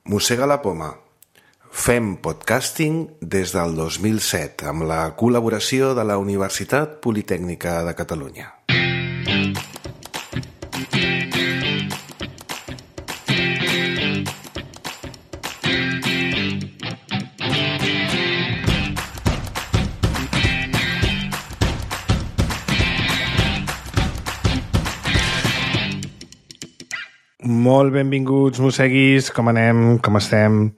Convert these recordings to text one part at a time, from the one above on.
Mossega la poma. Fem podcasting des del 2007 amb la col·laboració de la Universitat Politècnica de Catalunya. Molt benvinguts, mosseguis, com anem, com estem?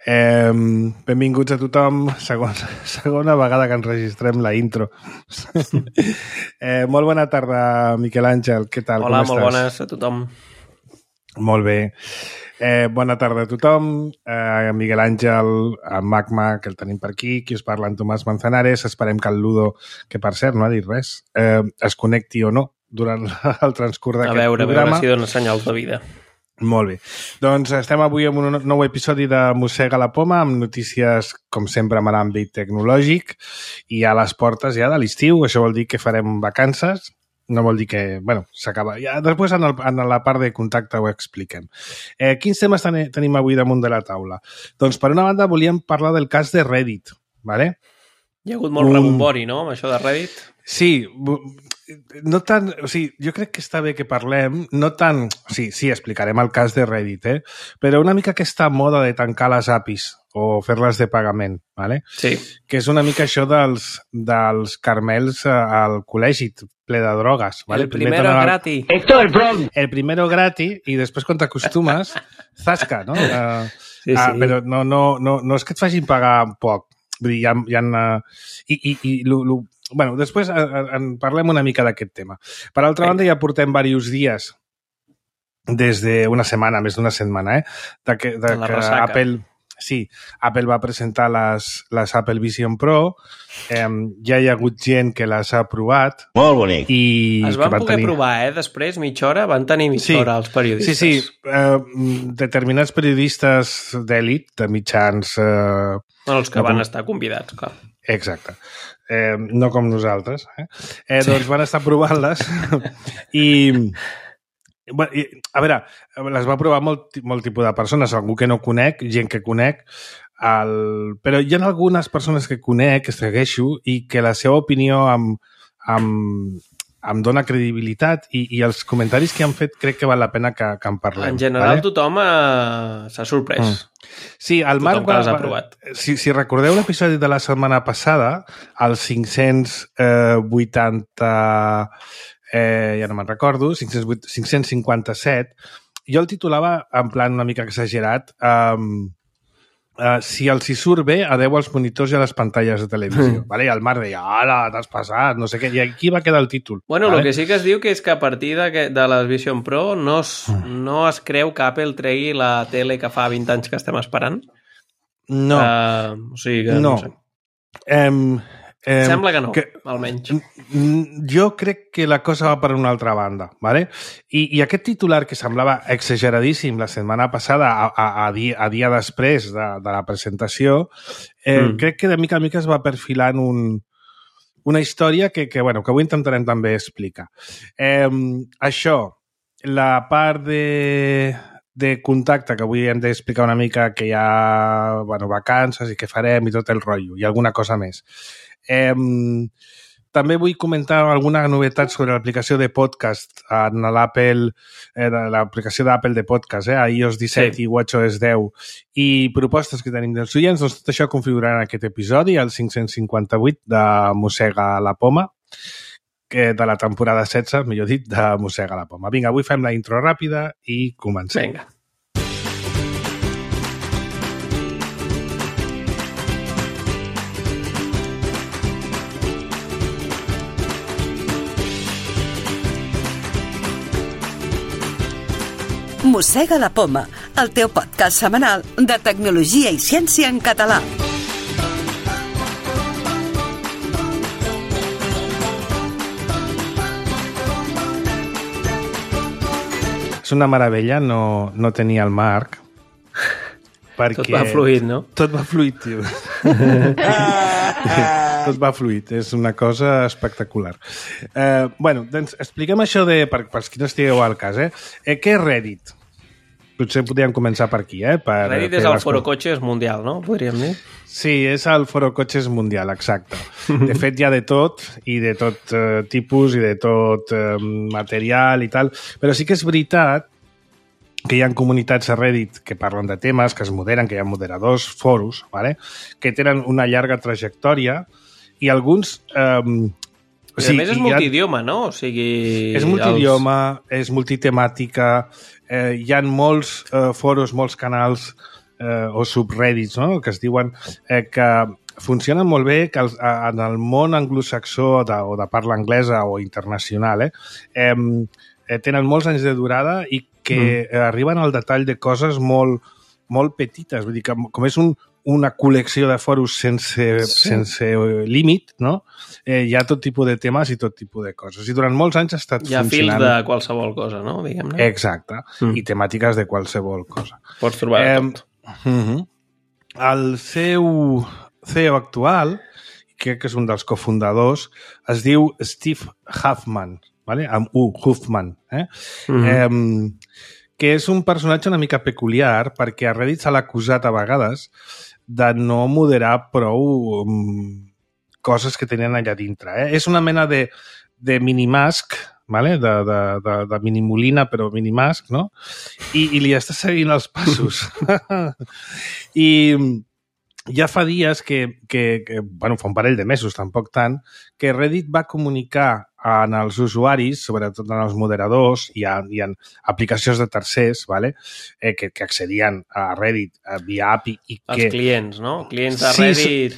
Benvinguts a tothom, segona vegada que ens registrem la intro. Molt bona tarda, Miquel Àngel, què tal? Hola, com estàs? molt bones a tothom. Molt bé. Bona tarda a tothom, Miguel Àngel, en Magma, que el tenim per aquí, qui us parla, en Tomàs Manzanares. Esperem que el Ludo, que per cert no ha dit res, es connecti o no durant el transcurs d'aquest programa. A veure si dona senyals de vida. Molt bé. Doncs estem avui en un nou episodi de Mossega la poma, amb notícies, com sempre, amb l'àmbit tecnològic, i a les portes ja de l'estiu. Això vol dir que farem vacances. No vol dir que... Bueno, s'acaba. Ja, després, en la part de contacte, ho expliquem. Quins temes tenim avui damunt de la taula? Doncs, per una banda, volíem parlar del cas de Reddit, ¿vale? Hi ha hagut molt rebombori, no?, amb això de Reddit. Sí, no tant... O sigui, jo crec que està bé que parlem, no tant... Sí, explicarem el cas de Reddit, però una mica aquesta moda de tancar les APIs o fer-les de pagament, ¿vale? Sí. Que és una mica això dels carmels al col·legi, ple de drogues, ¿vale? El primero gratis. El primero gratis, i després quan t'acostumes, zasca, no? Sí. Però no és que et facin pagar poc. Vull dir, bueno, després en parlem una mica d'aquest tema. Per altra banda, ja portem diversos dies, des d'una setmana, més d'una setmana, de que Apple va presentar les Apple Vision Pro, ja hi ha hagut gent que les ha provat. Molt bonic. Es van poder provar, després, mitja hora, van tenir mitja hora els periodistes. Sí. Determinats periodistes d'èlit, de mitjans... Els que van estar convidats, clar. Exacte. No com nosaltres. Doncs van estar provant-les i... A veure, les va provar molt tipus de persones, algú que no conec, gent que conec, però hi ha algunes persones que conec, que segueixo, i que la seva opinió em dona credibilitat i els comentaris que han fet crec que val la pena que en parlem. En general, vale? Tothom s'ha sorprès. Sí, el Marc va... Si recordeu l'episodi de la setmana passada, el 580... ja no me'n recordo, 557, jo el titulava en plan una mica exagerat, si els hi surt bé, adeu als monitors i a les pantalles de televisió. Vale? I el Marc deia, ara, t'has passat, no sé què, i aquí va quedar el títol. Bueno, el que sí que es diu que és que a partir de les Vision Pro no es creu que Apple tregui la tele que fa 20 anys que estem esperant? No. O sigui que no sé. Sembla que no, almenys. Jo crec que la cosa va per una altra banda, ¿vale? I aquest titular que semblava exageradíssim la setmana passada a dia després de la presentació, crec que de mica en mica es va perfilant una història que avui intentarem també explicar. Això, la part de contacte, que avui hem d'explicar una mica que hi ha vacances i què farem i tot el rotllo, i alguna cosa més. També vull comentar alguna novetat sobre l'aplicació de podcast en l'aplicació d'Apple de podcast, a iOS 17 i WatchOS 10, i propostes que tenim dels oients. Doncs tot això configurarà en aquest episodi, el 558 de Mossega la poma, de la temporada 16, millor dit, de Mossega la poma. Vinga, avui fem la intro ràpida i comencem. Vinga. Mossega la poma, el teu podcast setmanal de tecnologia i ciència en català. És una meravella no tenir el Marc, perquè... Tot va fluid, no? Tot va fluid, tio. Tot va fluid, és una cosa espectacular. Doncs expliquem això pels qui no estigueu al cas. Què és Reddit? Potser podríem començar per aquí, Reddit és el foro cotxes mundial, no? Podríem dir. Sí, és el foro cotxes mundial, exacte. De fet, hi ha de tot, i de tot tipus, i de tot material i tal, però sí que és veritat que hi ha comunitats a Reddit que parlen de temes, que es moderen, que hi ha moderadors, foros, ¿vale? Que tenen una llarga trajectòria i alguns... I a més és multidioma, no? O sigui... És multidioma, és multitemàtica, hi ha molts foros, molts canals o subreddits, no? Que es diuen que funcionen molt bé, que en el món anglosaxó o de parla anglesa o internacional tenen molts anys de durada i que arriben al detall de coses molt, molt petites. Vull dir que com és una col·lecció de foros sense límit, no? Hi ha tot tipus de temes i tot tipus de coses. I durant molts anys ha estat funcionant... Hi ha fils de qualsevol cosa, no? Diguem-ne. Exacte. I temàtiques de qualsevol cosa. Pots trobar tot. El seu CEO actual, crec que és un dels cofundadors, es diu Steve Huffman, ¿vale? Amb Huffman, que és un personatge una mica peculiar perquè a Reddit se l'ha acusat a vegades de no moderar prou coses que tenen allà dintre. És una mena de minimask, ¿vale? de minimolina, però minimask, no? I li està seguint els passos. I ja fa dies bueno, fa un parell de mesos, tampoc tant, que Reddit va comunicar en els usuaris, sobretot en els moderadors i en aplicacions de tercers, ¿vale? Que accedien a Reddit via API. Els clients, no? Clients de Reddit...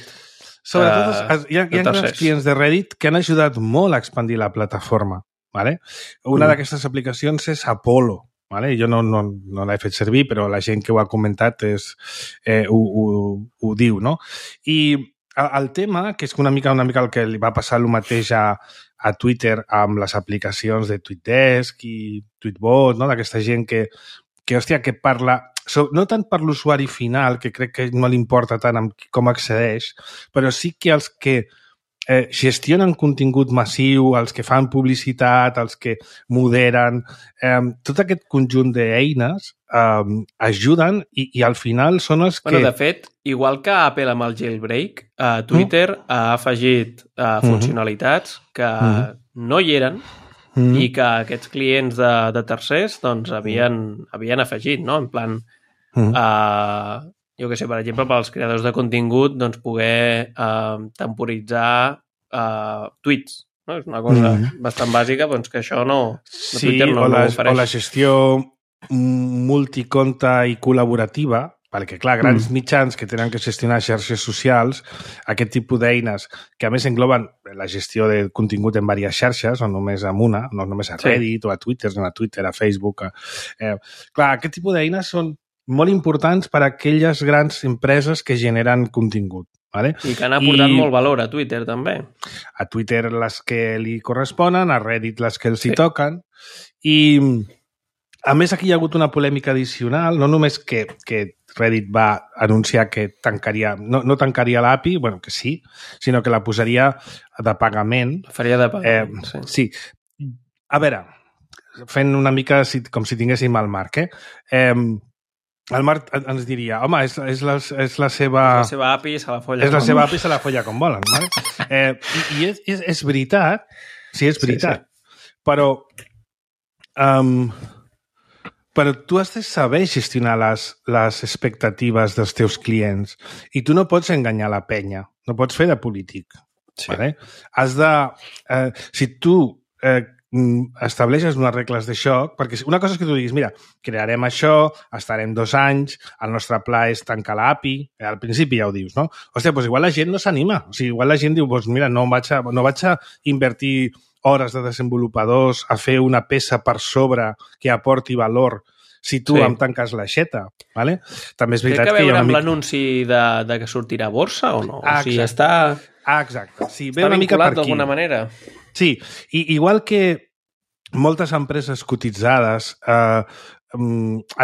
Sobretot hi ha grans clients de Reddit que han ajudat molt a expandir la plataforma, ¿vale? Una d'aquestes aplicacions és Apollo, ¿vale? Jo no l'he fet servir, però la gent que ho ha comentat ho diu, no? I el tema, que és una mica el que li va passar el mateix a Twitter amb les aplicacions de TweetDesk i Tweetbot, no? D'aquesta gent que parla, no tant per l'usuari final, que crec que no li importa tant com accedeix, però sí que els que gestionen contingut massiu, els que fan publicitat, els que moderen, tot aquest conjunt d'eines ajuden i al final són els que... Bueno, de fet, igual que Apple amb el jailbreak, Twitter ha afegit funcionalitats que no hi eren i que aquests clients de tercers doncs, havien afegit, no? En plan, jo què sé, per exemple, pels creadors de contingut, doncs poder temporitzar tuits. No? És una cosa bastant bàsica, doncs que això Twitter no ofereix. O la gestió multiconte i col·laborativa, perquè, clar, grans mitjans que tenen que gestionar xarxes socials, aquest tipus d'eines que, a més, engloben la gestió de contingut en diverses xarxes, o només en una, no només a Reddit o a Twitter, sinó a Twitter, a Facebook. Clar, aquest tipus d'eines són molt importants per a aquelles grans empreses que generen contingut. ¿Vale? I que han aportat molt valor a Twitter, també. A Twitter les que li corresponen, a Reddit les que els hi toquen. I, a més, aquí hi ha hagut una polèmica addicional, no només que Reddit va anunciar que tancaria, no tancaria l'API, bueno, que sí, sinó que la posaria de pagament. La faria de pagament, sí. A veure, fent una mica com si tinguéssim el Marc, el Marc ens diria, home, és la seva... La seva API se la folla. És la seva API se la folla com volen. Vale? I és veritat, sí, és veritat. Sí. Però tu has de saber gestionar les expectatives dels teus clients i tu no pots enganyar la penya, no pots fer de polític. Sí. Vale? Has de... si tu estableixes unes regles de joc, perquè una cosa és que tu diguis, mira, crearem això, estarem 2 anys, el nostre pla és tancar l'API, al principi ja ho dius, no? Hòstia, doncs igual la gent no s'anima, o sigui, igual la gent diu, doncs mira, no vaig a invertir hores de desenvolupadors a fer una peça per sobre que aporti valor si tu em tanques l'aixeta, ¿vale? També és veritat que hi ha una mica... Té que veure amb l'anunci de que sortirà a borsa o no? O sigui, està... exacte. Sí, ve una mica per aquí. D'alguna manera. Sí, igual que moltes empreses cotitzades han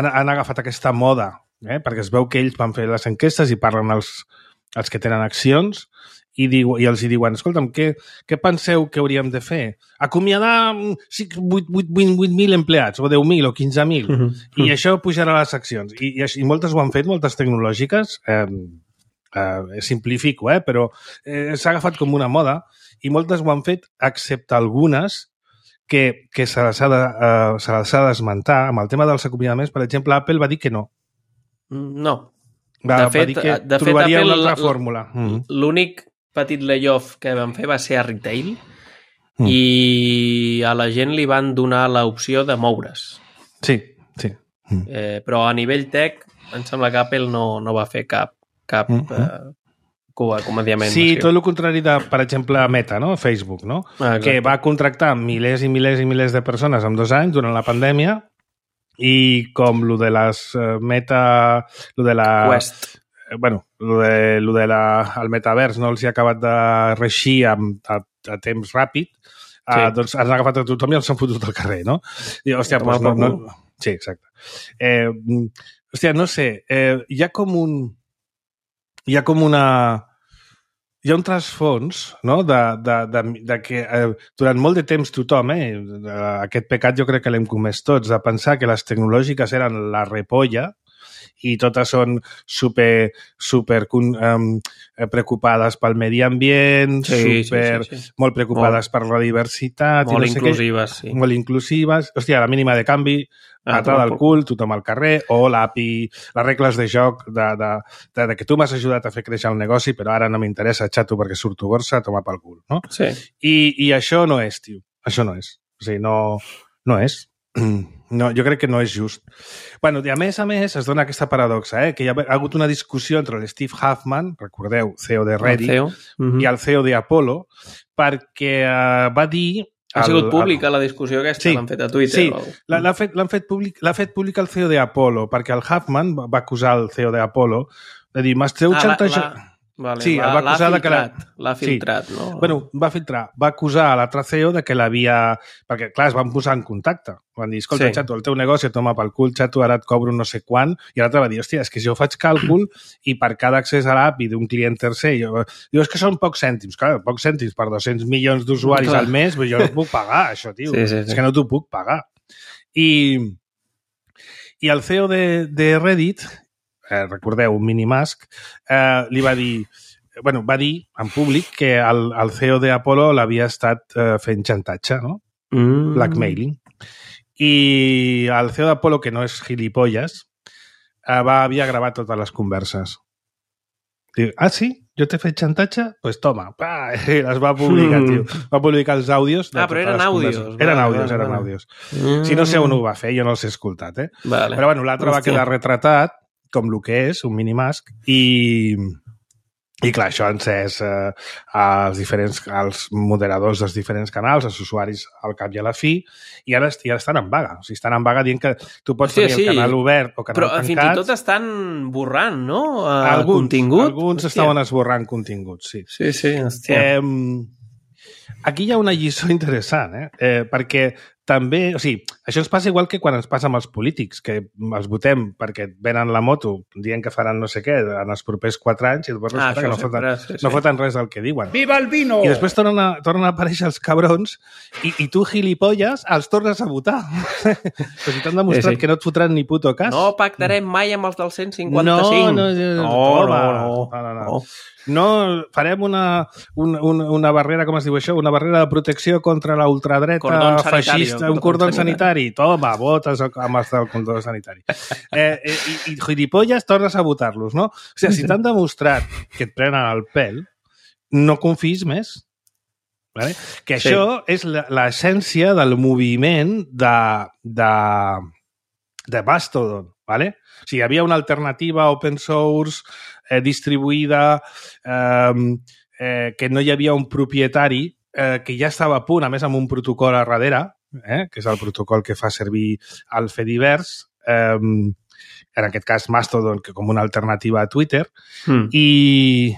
agafat aquesta moda, perquè es veu que ells van fer les enquestes i parlen els que tenen accions i els hi diuen, escolta'm, què penseu que hauríem de fer? Acomiadar 8.000 empleats, o 10.000, o 15.000, i això pujarà a les accions. I moltes ho han fet, moltes tecnològiques, simplifico, però s'ha agafat com una moda, i moltes ho han fet, excepte algunes que se les ha d'esmentar. Amb el tema dels acomiadaments, per exemple, Apple va dir que no. No. Va dir que trobaria una altra fórmula. L'únic petit layoff que van fer va ser a retail i a la gent li van donar l'opció de moure's. Sí. Però a nivell tech em sembla que Apple no va fer cap acomediament. Sí, tot el contrari de, per exemple, Meta, no? Facebook, no? Que va contractar milers i milers i milers de persones en 2 anys durant la pandèmia i com lo de les Meta... Lo de la... Quest. Bueno, el metavers no els hi ha acabat de reixir a temps ràpid, doncs han agafat a tothom i els han fotut al carrer, no? I, hòstia, doncs no... Sí, exacte. Hòstia, no sé, hi ha un trasfons, no?, de que durant molt de temps tothom, aquest pecat jo crec que l'hem comès tots, de pensar que les tecnològiques eren la repolla i totes són super preocupades pel medi ambient, molt preocupades per la diversitat. Molt inclusives, sí. Molt inclusives. Hòstia, a la mínima de canvi, patada al cul, tothom al carrer, o l'API, les regles de joc de que tu m'has ajudat a fer créixer el negoci, però ara no m'interessa, xato, perquè surto borsa, toma pel cul, no? Sí. I això no és, tio. Això no és. O sigui, no és. No, jo crec que no és just. Bueno, i a més es dona aquesta paradoxa, que hi ha hagut una discussió entre l'Steve Huffman, recordeu, CEO de Reddit, i el CEO d'Apollo, perquè va dir... Ha sigut pública la discussió aquesta, l'han fet a Twitter. Sí, l'ha fet pública el CEO d'Apollo, perquè el Huffman va acusar el CEO d'Apollo de dir, m'esteu xantatjant... Vale, sí, l'ha filtrat, sí. No? Bueno, va acusar a l'altre CEO de que l'havia... Perquè, clar, es van posar en contacte. Van dir, escolta, xato, el teu negoci et toma pel cul, xato, ara et cobro no sé quant. I l'altre va dir, hòstia, és que jo faig càlcul i per cada accés a l'API d'un client tercer, jo és que són pocs cèntims. Clar, pocs cèntims per 200 milions d'usuaris al mes, però jo no puc pagar, això, tio. Sí. És que no t'ho puc pagar. I el CEO de Reddit... recordeu, un minimask, li va dir, va dir en públic que el CEO d'Apollo l'havia estat fent xantatge, no? Blackmailing. I el CEO d'Apollo, que no és gilipolles, havia gravat totes les converses. Diu, sí? Jo t'he fet xantatge? Pues toma. I les va publicar, tio. Va publicar els àudios. Però eren àudios. Eren àudios. Si no sé on ho va fer, jo no els he escoltat, Vale. Però bueno, l'altre va quedar retratat com el que és, un minimask, i clar, això ha encès als moderadors dels diferents canals, als usuaris al cap i a la fi, i ara estan en vaga. O sigui, estan en vaga dient que tu pots tenir el canal obert o canal tancat. Però fins i tot estan borrant, no? Contingut. Alguns estaven esborrant continguts, sí. Sí, hòstia. Aquí hi ha una lliçó interessant, perquè també, o sigui, això ens passa igual que quan ens passa amb els polítics, que els votem perquè venen la moto dient que faran no sé què en els propers 4 anys i després resulta que no foten res del que diuen. Viva el vino! I després tornen a aparèixer els cabrons i tu, gilipolles, els tornes a votar. Però si t'han demostrat que no et fotran ni puto cas. No pactarem mai amb els del 155. No. No, farem una barrera, com es diu això? Una barrera de protecció contra la ultradreta feixista, un cordó sanitari. Toma, votes amb el cordó sanitari. I gilipolles, tornes a votar-los, no? O sigui, si t'han demostrat que et prenen el pèl, no confis més. Vale? Que això és l'essència del moviment de Mastodon, ¿vale? O sigui, hi havia una alternativa open source distribuïda, que no hi havia un propietari, que ja estava a punt, a més amb un protocol a darrere, que és el protocol que fa servir el Fediverse, en aquest cas Mastodon, que com una alternativa a Twitter, i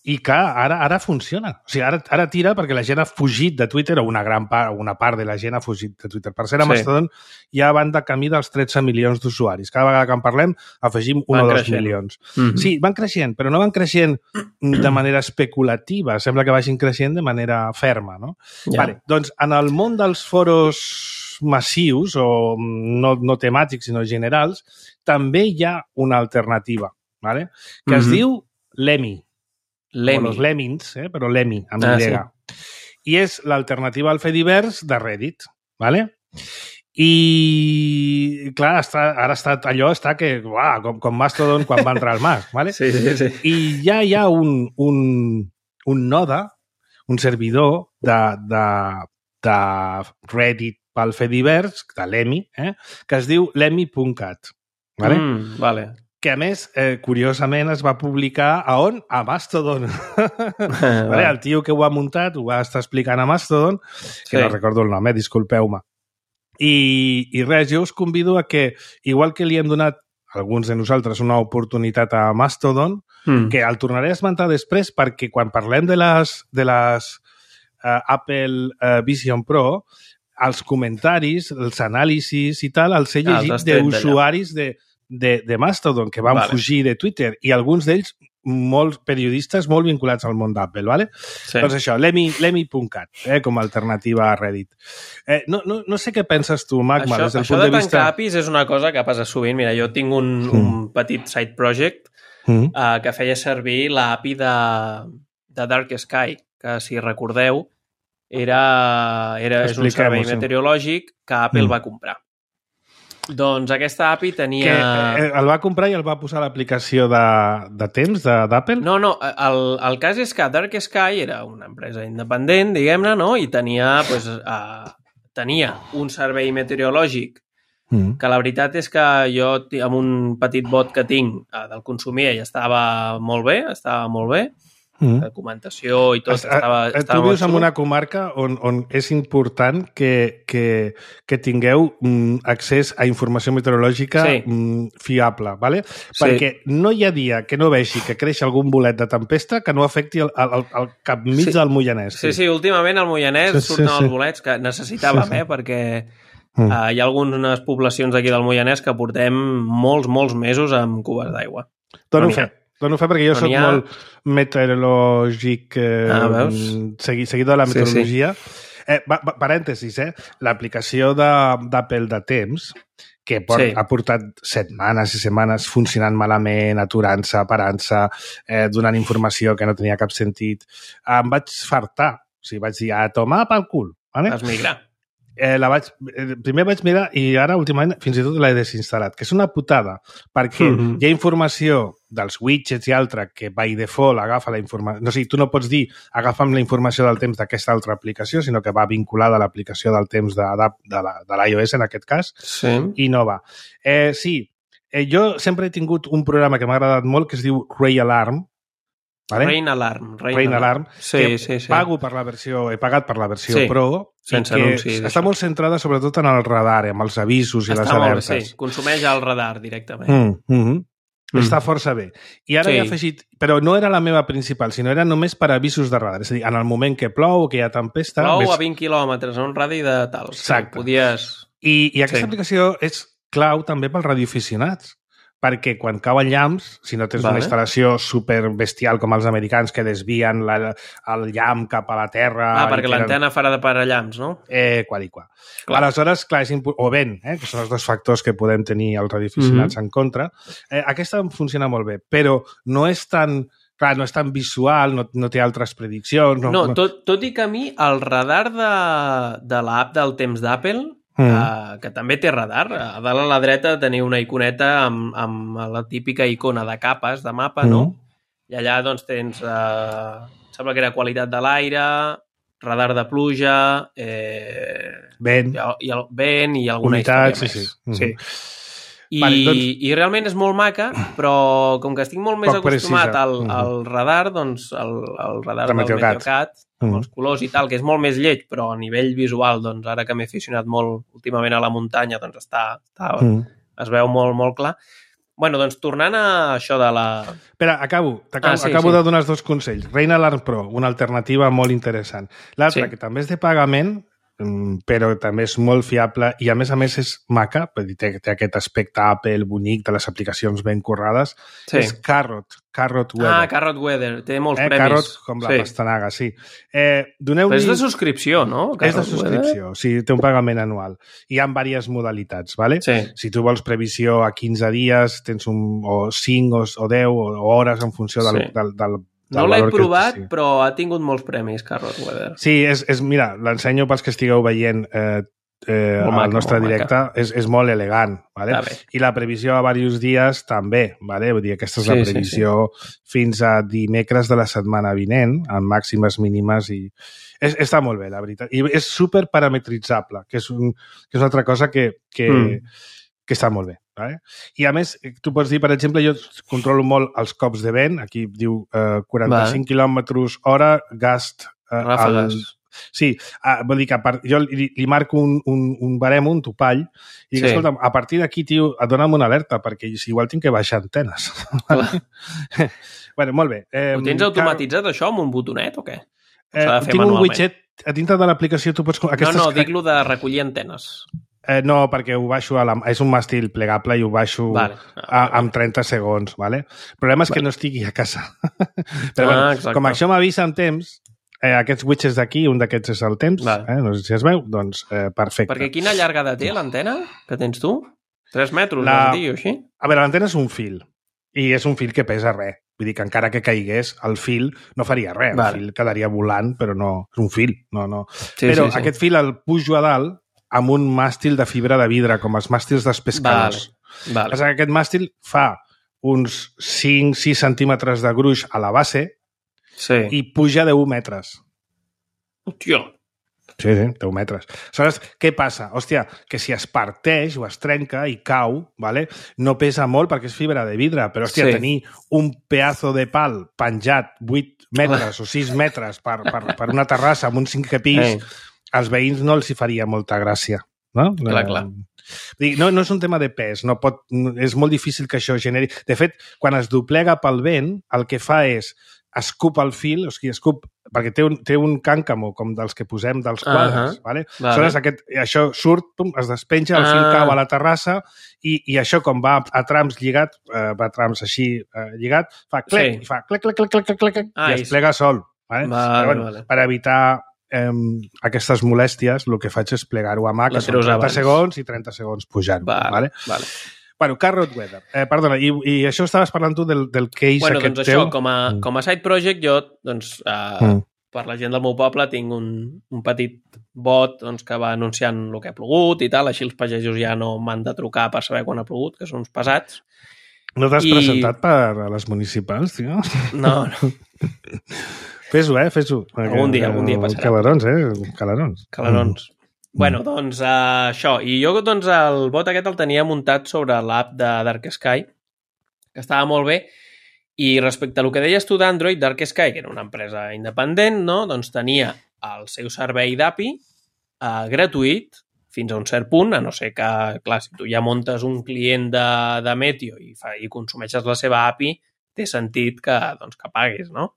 I clar, ara funciona. O sigui, ara tira perquè la gent ha fugit de Twitter, o una part de la gent ha fugit de Twitter. Per ser a Mastodon ja van de camí dels 13 milions d'usuaris. Cada vegada que en parlem afegim 1 o 2 milions. Sí, van creixent, però no van creixent de manera especulativa. Sembla que vagin creixent de manera ferma, no? Vale, doncs, en el món dels foros massius, o no temàtics, sinó generals, també hi ha una alternativa, vale? Que es diu Lemmy. O los Lemmings, però Lemmy, amb Y. I és l'alternativa al Fediverse de Reddit, ¿vale? I, clar, allò està que, com Mastodon quan va entrar al Mas, ¿vale? Sí. I ja hi ha un node, un servidor de Reddit pel Fediverse, de Lemmy, que es diu lemmy.cat, ¿vale? Vale. Que, a més, curiosament, es va publicar a on? A Mastodon. Vale? El tio que ho ha muntat ho va estar explicant a Mastodon, que no recordo el nom, disculpeu-me. I res, jo us convido a que, igual que li hem donat alguns de nosaltres una oportunitat a Mastodon, que el tornaré a esmentar després perquè quan parlem de les Apple Vision Pro, els comentaris, els anàlisis i tal, els he llegit d'usuaris de Mastodon que van fugir de Twitter i alguns d'ells molts periodistes molt vinculats al món d'Apple, ¿vale? Doncs això, lemmy.cat, com a alternativa a Reddit. No sé què penses tu, Magma, des del punt de vista... Això de tancar APIs és una cosa que passa sovint. Mira, jo tinc un petit side project que feia servir l'API de Dark Sky, que, si recordeu, és un servei meteorològic que Apple va comprar. Doncs aquesta API tenia... El va comprar i el va posar a l'aplicació de temps d'Apple? No, el cas és que Dark Sky era una empresa independent, diguem-ne, no? I tenia un servei meteorològic que la veritat és que jo, amb un petit bot que tinc, del consumia i estava molt bé, la documentació i tot estava tu vius en una comarca on és important que tingueu accés a informació meteorològica fiable, ¿vale? Perquè no hi ha dia que no vegi que creix algun bolet de tempesta que no afecti el cap mig del Moianès. Sí, últimament al Moianès surten els bolets que necessitàvem, perquè hi ha algunes poblacions d'aquí del Moianès que portem molts mesos amb cubes d'aigua. Dono fe perquè jo soc molt meteorològic, seguidor de la meteorologia. Parèntesis, l'aplicació d'Apple de temps, que ha portat setmanes i setmanes funcionant malament, aturant-se, parant-se, donant informació que no tenia cap sentit, em vaig fartar. O sigui, vaig dir, a tomar pel cul. Vas migrar. Primer vaig mirar i ara últimament fins i tot l'he desinstal·lat, que és una putada, perquè hi ha informació dels widgets i altre que by default agafa la informació, no sé, tu no pots dir agafa'm la informació del temps d'aquesta altra aplicació, sinó que va vinculada a l'aplicació del temps de l'iOS en aquest cas, i no va. Jo sempre he tingut un programa que m'ha agradat molt que es diu Ray Alarm, ¿vale? Rain Alarm. Sí. Pago per la versió, he pagat per la versió Pro, sense anuncis. Està molt centrada sobretot en el radar, amb els avisos i les alertes. Està molt bé, consumeix el radar directament. Està força bé. I ara he afegit, però no era la meva principal, sinó era només per avisos de radar. És a dir, en el moment que plou o que hi ha tempesta... Plou a 20 quilòmetres, a un radi de tal. Exacte. I aquesta aplicació és clau també pels radioaficionats, perquè quan cauen llamps, si no tens una instal·lació superbestial com els americans que desvien el llamp cap a la terra... perquè l'antena farà de parallamps, no? Qual i qual. Aleshores, clar, o vent, que són els dos factors que podem tenir els radioaficionats en contra. Aquesta funciona molt bé, però no és tan... Clar, no és tan visual, no té altres prediccions... Tot i que a mi el radar de l'app del temps d'Apple... que també té radar. A dalt a la dreta teniu una iconeta amb la típica icona de capes de mapa, no? I allà doncs tens sembla que era qualitat de l'aire, radar de pluja, vent i alguna història més. I realment és molt maca, però com que estic molt més acostumat al radar, doncs el radar del Meteocat, amb els colors i tal, que és molt més lleig, però a nivell visual, doncs ara que m'he aficionat molt últimament a la muntanya, doncs es veu molt, molt clar. Bueno, doncs tornant a això de la... Espera, acabo sí. de donar els 2 consells. Reina Alarm Pro, una alternativa molt interessant. L'altra, que també és de pagament, però també és molt fiable i a més és maca, té aquest aspecte Apple bonic de les aplicacions ben currades, és Carrot Weather. Carrot Weather, té molts premis. Carrot com la pastanaga, sí. Però és de subscripció, no? És de subscripció, sí, té un pagament anual. Hi ha diverses modalitats, ¿vale? Sí. Si tu vols previsió a 15 dies, tens o 5 o 10 o hores en funció del no l'he provat, però ha tingut molts premis, Carrot Weather. Sí, mira, l'ensenyo pels que estigueu veient al nostre directe. És molt elegant, ¿vale? I la previsió a diversos dies també, ¿vale? Vull dir, aquesta és la previsió fins a dimecres de la setmana vinent, amb màximes mínimes i... Està molt bé, la veritat. I és super parametritzable, que és una altra cosa que està molt bé. Vale? I a més, tu pots dir, per exemple, jo controlo molt els cops de vent, aquí diu 45 km/h gast... Ràfegues. Sí, vol dir que jo li marco un barem, un topall, i dic, escolta, a partir d'aquí, tio, dona'm una alerta, perquè igual tinc que baixar antenes. Bueno, molt bé. Ho tens automatitzat, això, amb un botonet, o què? Tinc un widget, a dintre de l'aplicació tu pots... No, dic-lo de recollir antenes. No, perquè ho baixo és un màstil plegable i ho baixo amb 30 segons, ¿vale? El problema és que no estigui a casa. Però com això m'avisa en temps, aquests widgets d'aquí, un d'aquests és el temps, no sé si es veu, doncs perfecte. Perquè quina llargada té l'antena que tens tu? 3 metres, vas dir, o així? A veure, l'antena és un fil, i és un fil que pesa res. Vull dir que encara que caigués, el fil no faria res. El fil quedaria volant, però no... És un fil, no. Però aquest fil el pujo a dalt amb un màstil de fibra de vidre, com els màstils dels pescadors. Aquest màstil fa uns 5-6 centímetres de gruix a la base i puja 10 metres. Hòstia! Sí, 10 metres. Aleshores, què passa? Hòstia, que si es parteix o es trenca i cau, no pesa molt perquè és fibra de vidre, però tenir un pedazo de pal penjat 8 metres o 6 metres per una terrassa amb un 5è pis, als veïns no els hi faria molta gràcia. No? Clar. No és un tema de pes, és molt difícil que això generi... De fet, quan es doblega pel vent, el que fa és escup el fil, o sigui, perquè té un càncamo com dels que posem dels quadres, aleshores això surt, es despenja, el fil cau a la terrassa i això com va a trams lligat, va a trams així lligat, fa clec, i fa clec, i es plega sol. Per evitar aquestes molèsties, el que faig és plegar-ho a mà, que són 30 segons i 30 segons pujant. Bueno, Carrot Weather. Perdona, i això estaves parlant tu del case aquest teu? Doncs això, com a side project, jo, per la gent del meu poble, tinc un petit bot que va anunciant el que ha plogut i tal, així els pagesos ja no m'han de trucar per saber quan ha plogut, que són uns pesats. No t'has presentat per a les municipals, tio? No. Fes-ho, fes-ho. Algun dia passarà. Calarons. Bueno, doncs això. I jo, el bot aquest el tenia muntat sobre l'app de Dark Sky, que estava molt bé, i respecte a el que deies tu d'Android, Dark Sky, que era una empresa independent, no? Doncs tenia el seu servei d'API gratuït fins a un cert punt, a no ser que, clar, si tu ja muntes un client de Meteo i consumeixes la seva API, té sentit que paguis, no?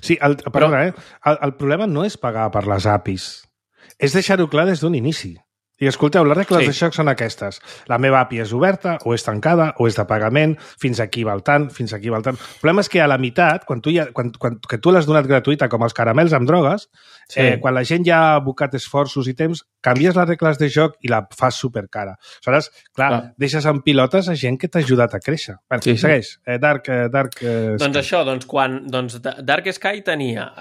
Sí, perdona, el problema no és pagar per les APIs, és deixar-ho clar des d'un inici. I escolteu, les regles de joc són aquestes. La meva API és oberta, o és tancada, o és de pagament, fins aquí val tant, fins aquí val tant. El problema és que a la meitat, quan tu l'has donat gratuïta, com els caramels amb drogues, quan la gent ja ha abocat esforços i temps, canvies les regles de joc i la fas supercara. Aleshores, clar, deixes en pilotes a gent que t'ha ajudat a créixer. Segueix. Dark Sky. Doncs això, Dark Sky tenia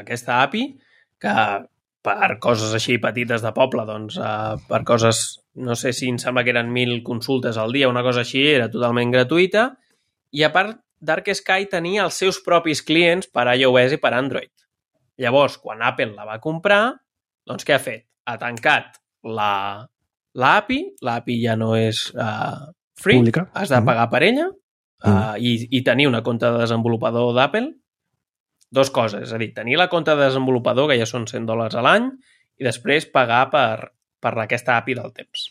aquesta API que per coses així petites de poble, per coses, no sé si em sembla que eren 1.000 consultes al dia, una cosa així, era totalment gratuïta, i a part, Dark Sky tenia els seus propis clients per iOS i per Android. Llavors, quan Apple la va comprar, doncs què ha fet? Ha tancat l'API, l'API ja no és free, pública. Has de pagar per ella, i tenir una compte de desenvolupador d'Apple. Dos coses, és a dir, tenir la compte de desenvolupador, que ja són $100 a l'any, i després pagar per aquesta API del temps.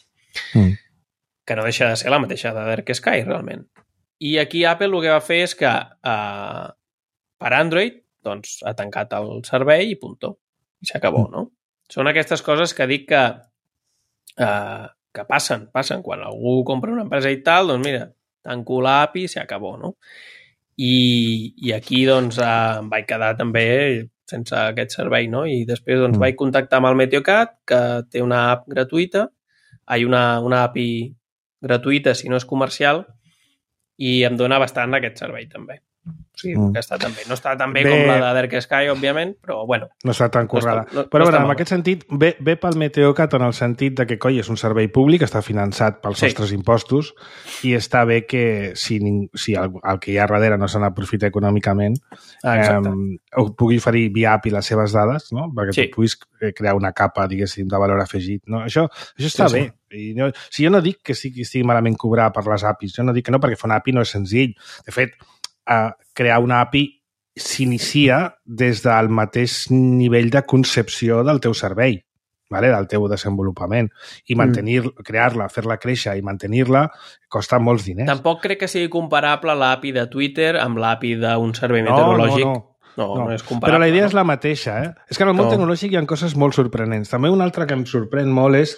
que no deixa de ser la mateixa de Dark Sky, realment. I aquí Apple el que va fer és que per Android doncs, ha tancat el servei i puntó. I s'acabó, no? Són aquestes coses que dic que passen. Quan algú compra una empresa i tal, doncs mira, tanco l'API i s'acabó, no? I aquí doncs em vaig quedar també sense aquest servei, no? I després doncs vaig contactar amb el Meteocat, que té una app gratuïta, una API gratuïta si no és comercial, i em dona bastant aquest servei també. O sigui, que està tan bé. No està tan bé com la de Dark Sky, òbviament, però bueno. No està tan currada. Però bueno, en aquest sentit, ve pel Meteocat en el sentit de que, coi, és un servei públic, està finançat pels nostres impostos i està bé que si el que hi ha darrere no se n'aprofita econòmicament, pugui oferir via API les seves dades, no? Perquè tu puguis crear una capa, diguéssim, de valor afegit. No? Això està bé. I jo no dic que estigui malament cobrar per les APIs, jo no dic que no, perquè fer una API no és senzill. De fet, crear una API s'inicia des del mateix nivell de concepció del teu servei, del teu desenvolupament. I crear-la, fer-la créixer i mantenir-la costa molts diners. Tampoc crec que sigui comparable l'API de Twitter amb l'API d'un servei meteorològic. No és comparable. Però la idea és la mateixa. És que en el món tecnològic hi ha coses molt sorprenents. També una altra que em sorprèn molt és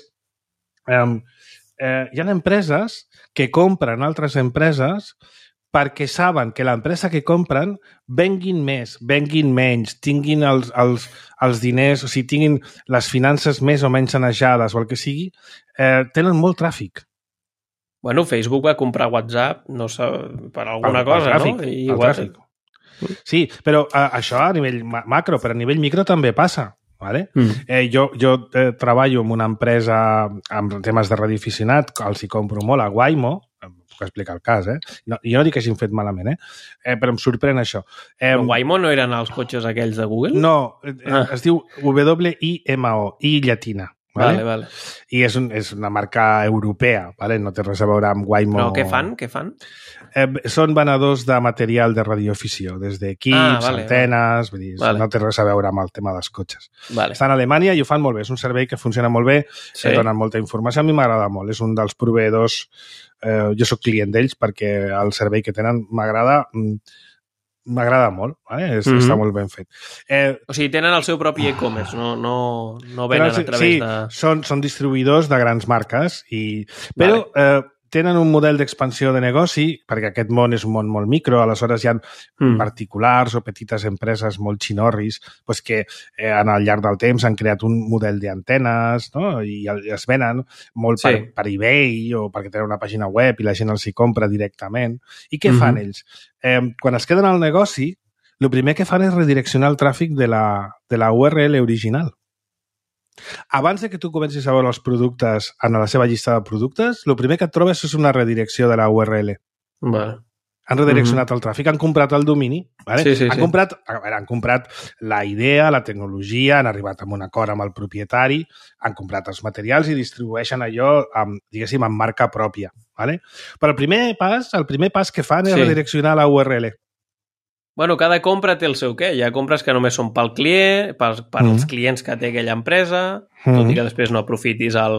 hi ha empreses que compren altres empreses perquè saben que l'empresa que compren venguin més, venguin menys, tinguin els diners, o sigui, tinguin les finances més o menys sanejades o el que sigui, tenen molt tràfic. Bueno, Facebook va comprar WhatsApp, no sé, per alguna cosa, tràfic, no? El tràfic. Sí, però això a nivell macro, però a nivell micro també passa. Vale? Jo treballo en una empresa amb temes de radioaficionat, els hi compro molt a Waymo, puc explicar el cas, jo no dic que hagin fet malament, però em sorprèn això. Però Waymo no eren els cotxes aquells de Google? No, es diu WIMO, I llatina. Vale. I és una marca europea, no té res a veure amb Waymo. Però què fan? Són venedors de material de radioafició, des d'equips, antenes, vull dir, no té res a veure amb el tema dels cotxes. Estan a Alemanya i ho fan molt bé, és un servei que funciona molt bé, donen molta informació, a mi m'agrada molt, és un dels proveïdors, jo sóc client d'ells perquè el servei que tenen m'agrada molt, està molt ben fet. O sigui, tenen el seu propi e-commerce, no venen a través de... Sí, són distribuïdors de grans marques, però tenen un model d'expansió de negoci, perquè aquest món és un món molt micro, aleshores hi ha particulars o petites empreses molt xinorris que al llarg del temps han creat un model d'antenes, no? I es venen molt per eBay o perquè tenen una pàgina web i la gent els hi compra directament. I què fan ells? Quan es queden al negoci, el primer que fan és redireccionar el tràfic de la URL original. Abans que tu comencis a veure els productes en la seva llista de productes, el primer que et trobes és una redirecció de la URL. Han redireccionat el tràfic, han comprat el domini. Han comprat la idea, la tecnologia, han arribat a un acord amb el propietari, han comprat els materials i distribueixen allò, diguéssim, amb marca pròpia. Però el primer pas que fan és redireccionar la URL. Bueno, cada compra té el seu què. Hi ha compres que només són pel client, pels clients que té aquella empresa, tot i que després no aprofitis la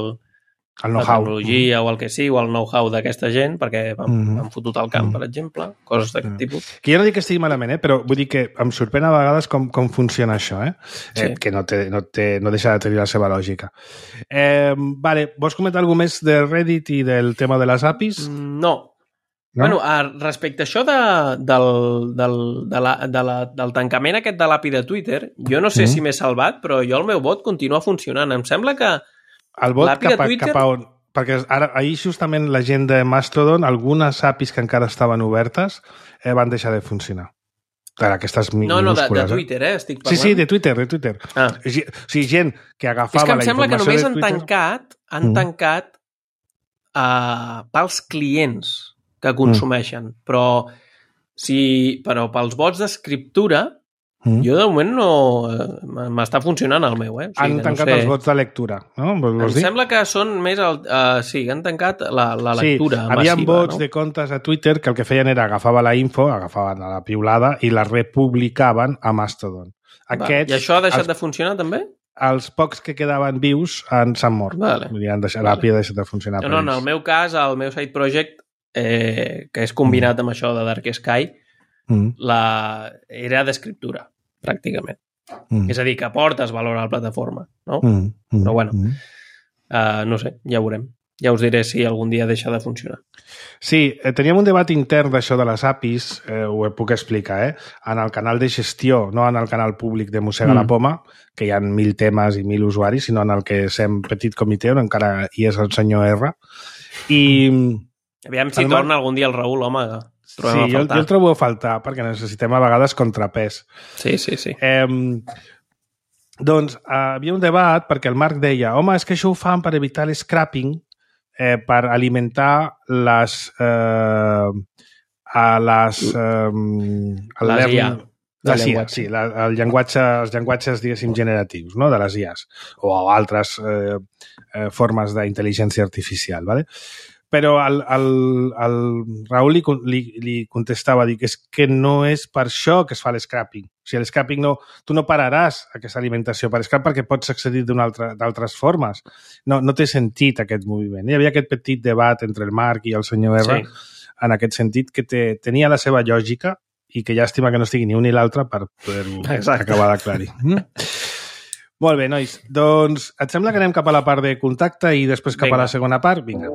tecnologia o el que sigui, o el know-how d'aquesta gent, perquè han fotut al camp, per exemple, coses d'aquest tipus. Que jo no dic que estigui malament, però vull dir que em sorprèn a vegades com funciona això, que no deixa de tenir la seva lògica. Vols comentar alguna més de Reddit i del tema de les APIs? No. Bueno, respecte a això del tancament aquest de l'API de Twitter, jo no sé si m'he salvat, però jo el meu bot continua funcionant. Em sembla que l'API de Twitter... Perquè ahir justament la gent de Mastodon, algunes APIs que encara estaven obertes, van deixar de funcionar. Aquestes minúscules. No, de Twitter, estic parlant. Sí, de Twitter. O sigui, gent que agafava la informació de Twitter... És que em sembla que només han tancat pels clients que consumeixen, però pels bots d'escriptura jo de moment no m'està funcionant el meu, Han tancat els bots de lectura, no? Em sembla que són més han tancat la lectura massiva. Havia bots de comptes a Twitter que el que feien era agafaven la piulada i la republicaven a Mastodon. I això ha deixat de funcionar també? els pocs que quedaven vius s'han mort. Vale. L'API ha deixat de funcionar. No, en el meu cas, el meu side project, que és combinat amb això de Dark Sky, era d'escriptura, pràcticament. És a dir, que aportes valor a la plataforma, no? Però bueno, no sé, ja veurem. Ja us diré si algun dia deixa de funcionar. Sí, teníem un debat intern d'això de les APIs, ho puc explicar, en el canal de gestió, no en el canal públic de Mossega la Poma, que hi ha 1.000 temes i 1.000 usuaris, sinó en el que sem petit comitè, on encara hi és el senyor R. I... Aviam si torna algun dia el Raül, home. Sí, jo el trobo a faltar, perquè necessitem a vegades contrapès. Sí. Doncs havia un debat perquè el Marc deia home, és que això ho fan per evitar l'escrapping, per alimentar les els llenguatges, diguéssim, generatius, no? De les IAs o altres formes d'intel·ligència artificial, ¿vale? Però el Raül li contestava, dic, és que no és per això que es fa l'escrapping. O sigui, l'escrapping tu no pararàs aquesta alimentació per scrap perquè pots accedir d'altres formes. No té sentit aquest moviment. Hi havia aquest petit debat entre el Marc i el senyor R en aquest sentit que tenia la seva lògica i que llàstima que no estigui ni un ni l'altre per poder-ho acabar d'aclarir. Molt bé, nois. Doncs et sembla que anem cap a la part de contacte i després cap a la segona part? Vinga.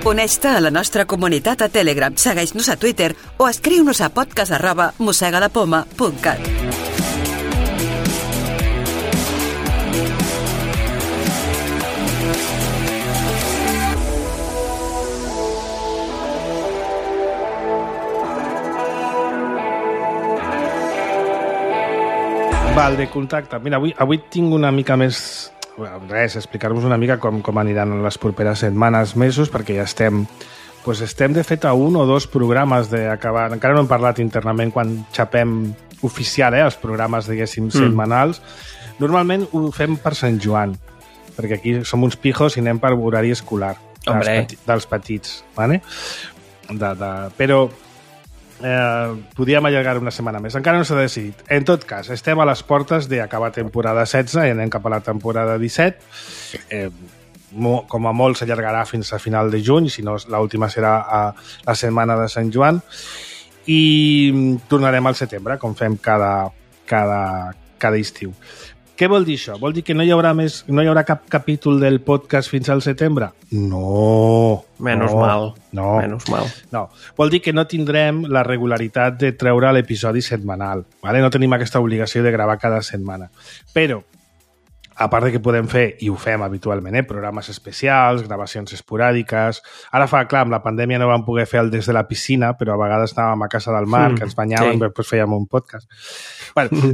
Uneix-te a la nostra comunitat a Telegram, segueix-nos a Twitter o escriu-nos a podcast@mossegalapoma.cat. Val, de contacte. Mira, avui tinc una mica més... explicar-vos una mica com aniran les properes setmanes, mesos, perquè ja estem de fet a un o dos programes d'acabar. Encara no hem parlat internament quan xapem oficial, els programes, diguéssim, setmanals. Normalment ho fem per Sant Joan, perquè aquí som uns pijos i anem per horari escolar dels petits, ¿vale? Però podíem allargar una setmana més. Encara no s'ha decidit. En tot cas, estem a les portes d'acabar temporada 16 i anem cap a la temporada 17. Com a molt s'allargarà fins a final de juny, si no l'última serà a la setmana de Sant Joan. I tornarem al setembre, com fem cada estiu. Què vol dir això? Vol dir que no hi haurà cap capítol del podcast fins al setembre? No. Menos mal. No. Vol dir que no tindrem la regularitat de treure l'episodi setmanal. ¿Vale? No tenim aquesta obligació de gravar cada setmana. Però, a part de que podem fer, i ho fem habitualment, programes especials, gravacions esporàdiques... Ara clar, amb la pandèmia no vam poder fer el des de la piscina, però a vegades anàvem a casa del Marc, ens banyàvem i després fèiem un podcast.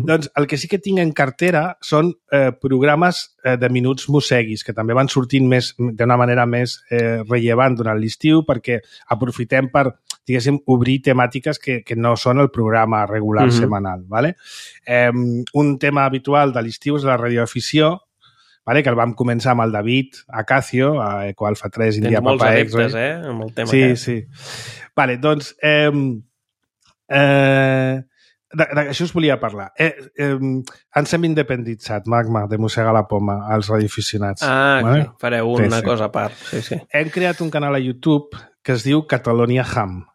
Doncs el que sí que tinc en cartera són programes de minuts mosseguis, que també van sortint d'una manera més rellevant durant l'estiu, perquè aprofitem per, diguéssim, obrir temàtiques que no són el programa regular setmanal. ¿Vale? Un tema habitual de l'estiu és la radioafició, ¿vale? Que el vam començar amb el David Acacio, a Ecoalfa 3, India Papa X. Tens molts adeptes, amb el tema. Sí. Vale, doncs... D'això us volia parlar. Ens hem independitzat, Magma, de Mossega la Poma, als radioaficionats. Vale? Fareu una cosa a part. Sí. Hem creat un canal a YouTube que es diu Catalonia Ham,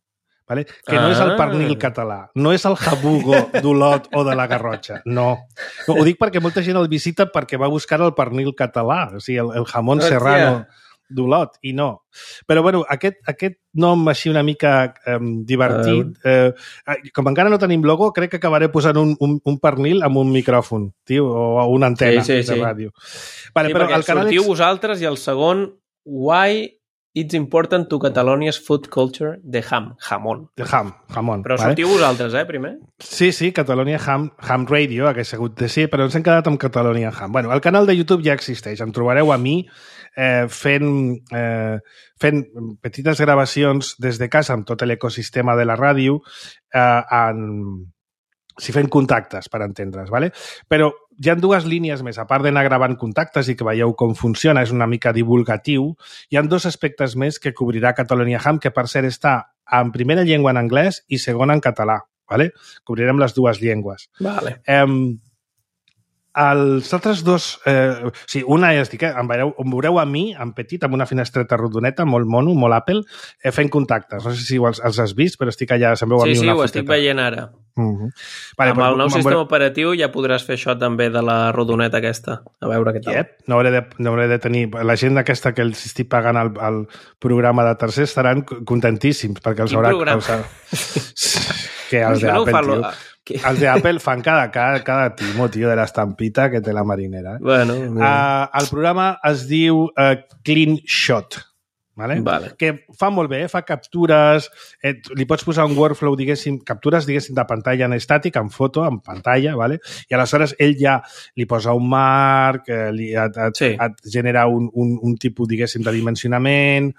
vale? Que no és el pernil català, no és el jabugo d'Olot o de la Garrotxa, no. Ho dic perquè molta gent el visita perquè va buscar el pernil català, o sigui, el jamón serrano d'Olot, i no. Però, bueno, aquest nom així una mica divertit, com encara no tenim logo, crec que acabaré posant un pernil amb un micròfon, tio, o una antena de ràdio. Vale, però perquè sortiu vosaltres i el segon, Why It's Important to Catalonia's Food Culture de jamón. De jamón. Però sortiu vosaltres, primer? Sí, Catalonia Ham Radio, hagués hagut de ser, però ens hem quedat amb Catalonia Ham. Bueno, el canal de YouTube ja existeix, em trobareu a mi fent petites gravacions des de casa amb tot l'ecosistema de la ràdio si fem contactes, per entendre's, ¿vale? Però hi ha dues línies més, a part d'anar gravant contactes i que veieu com funciona, és una mica divulgatiu, hi ha dos aspectes més que cobrirà Catalonia Ham, que per cert està en primera llengua en anglès i segona en català, ¿vale? Cobrirem les dues llengües. Vale. Els altres dos... una és dir que em veureu a mi, en petit, amb una finestreta rodoneta, molt mono, molt Apple, fent contactes. No sé si els has vist, però estic allà, se'm veu a mi una foteta. Sí, ho estic veient ara. Vale, amb el nou sistema operatiu ja podràs fer això també de la rodoneta aquesta. A veure què tal. Yep. No hauré de tenir... La gent aquesta que els estic pagant el programa de tercers estaran contentíssims, perquè els haurà... Quin programa? Que els d'Apple, tio. Els d'Apple fan cada timo, tio, de l'estampita que té la marinera. Bueno. El programa es diu Clean Shot, vale? Que fa molt bé, fa captures, li pots posar un workflow, captures, de pantalla en estàtic, en foto, en pantalla, vale? I aleshores ell ja li posa un marc, et genera un tipus, de dimensionament,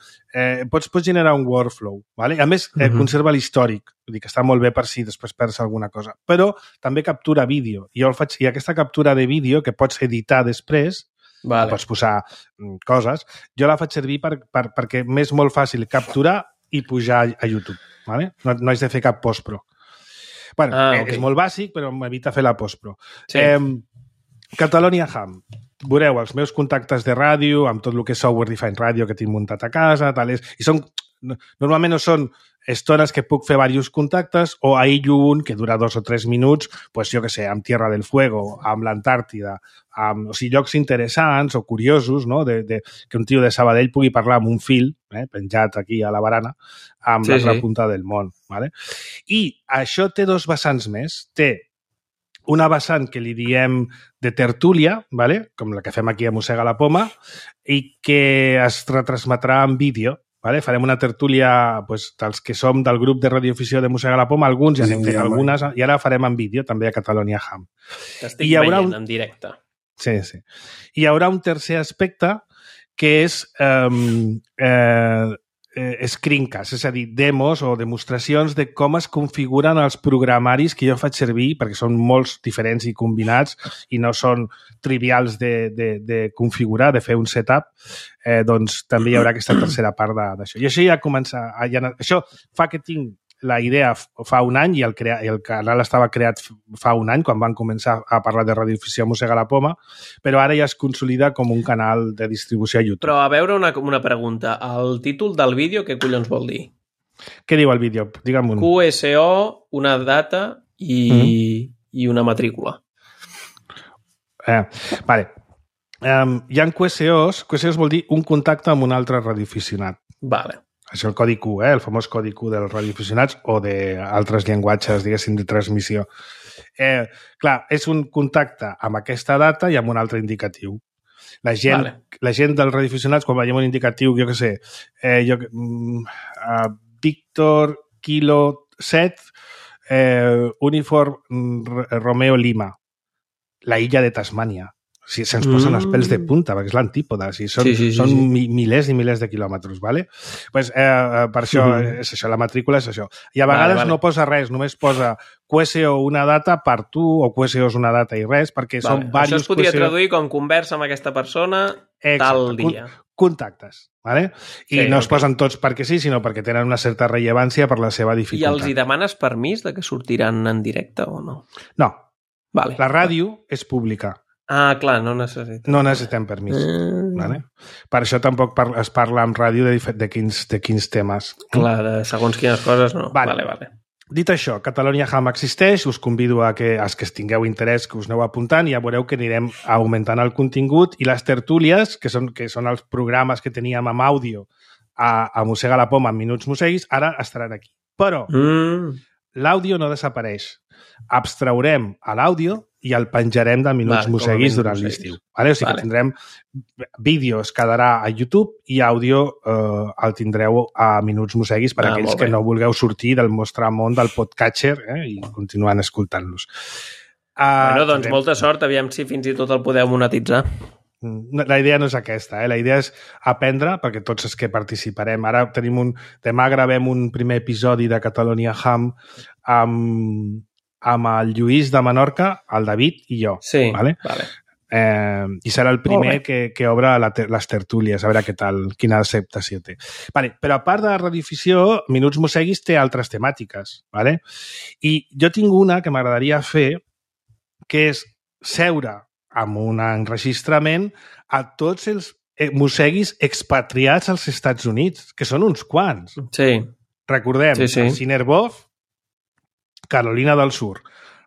pots generar un workflow, vale? A més, conserva l'històric, vull dir que està molt bé per si després perds alguna cosa, però també captura vídeo, i aquesta captura de vídeo que pots editar després, pots posar coses, jo la faig servir perquè m'és molt fàcil capturar i pujar a YouTube, vale? No haig de fer cap postpro. És molt bàsic, però m'evita fer la postpro. Sí. Catalonia Ham. Veureu els meus contactes de ràdio, amb tot el que és software defined ràdio que tinc muntat a casa, normalment no són estones que puc fer diversos contactes o aïllo un que dura 2 o 3 minuts, pues jo què sé, amb Tierra del Fuego, amb l'Antàrtida, o sigui, llocs interessants o curiosos, no? Que un tio de Sabadell pugui parlar amb un fil, penjat aquí a la barana, amb l'altra punta del món. Vale? I això té dos vessants més. Té una vessant que li diem de tertúlia, vale? Com la que fem aquí a Mossega la Poma, i que es retransmetrà en vídeo. Vale? Farem una tertúlia dels que som del grup de radioafició de Mossega la Poma, alguns ja n'hem fet algunes, i ara farem en vídeo també a Catalonia Ham. T'estic veient en directe. Sí. Hi haurà un tercer aspecte que és screencast, és a dir, demos o demostracions de com es configuren els programaris que jo faig servir, perquè són molts diferents i combinats i no són trivials de configurar, de fer un setup, doncs també hi haurà aquesta tercera part d'això. I això ja comença... Això fa que tinc la idea fa un any i el canal estava creat fa un any, quan van començar a parlar de radioafició a Mossega la Poma, però ara ja es consolida com un canal de distribució a YouTube. Però a veure una pregunta. El títol del vídeo què collons vol dir? Què diu el vídeo? Digue'm un. QSO, una data i una matrícula. Vale. Hi ha QSOs. QSOs vol dir un contacte amb un altre radioaficionat. Vale. Això és el codi Q, el famós codi Q dels radioaficionats o d'altres llenguatges, diguéssim, de transmissió. Clar, és un contacte amb aquesta data i amb un altre indicatiu. La gent dels radioaficionats, quan veiem un indicatiu, jo què sé, Víctor Kilo 7, Uniform Romeo Lima, la illa de Tasmània. Si se'ns posen els pèls de punta, perquè és l'antípoda. Són milers i milers de quilòmetres, ¿vale? Pues, per això és això, la matrícula és això. I a vegades no posa res, només posa QSO una data per tu o QSO és una data i res, perquè són diversos... Això es podria traduir com conversa amb aquesta persona tal dia. Contactes, ¿vale? I no es posen tots perquè sí, sinó perquè tenen una certa rellevància per la seva dificultat. I els hi demanes permís de que sortiran en directe o no? No. La ràdio és pública. Ah, clar, no necessitem. No necessitem permís. Vale? Per això tampoc es parla en ràdio de quins temes. Clar, segons quines coses no. Vale. Dit això, Catalonia Ham existeix, us convido a que els que tingueu interès que us aneu apuntant i ja veureu que anirem augmentant el contingut i les tertúlies, que són els programes que teníem amb àudio a Mossega la Poma en Minuts Mosseguis, ara estaran aquí. Però l'àudio no desapareix. Abstraurem a l'àudio i el penjarem de Minuts Mosseguis durant l'estiu. O sigui que tindrem vídeos, quedarà a YouTube i àudio el tindreu a Minuts Mosseguis per aquells que no vulgueu sortir del vostre món del podcatcher i continuant escoltant-los. Doncs molta sort, aviam si fins i tot el podeu monetitzar. La idea no és aquesta, la idea és aprendre, perquè tots els que participarem, ara demà gravem un primer episodi de Catalonia Ham amb el Lluís de Menorca, el David i jo. Sí, vale? I serà el primer que obre les tertúlies, a veure què tal, quina acceptació té. Vale, però a part de la redifusió, Minuts Mosseguis té altres temàtiques. Vale? I jo tinc una que m'agradaria fer, que és seure amb un enregistrament a tots els mosseguis expatriats als Estats Units, que són uns quants. Sí. Recordem, Siner Boff, Carolina del Sur,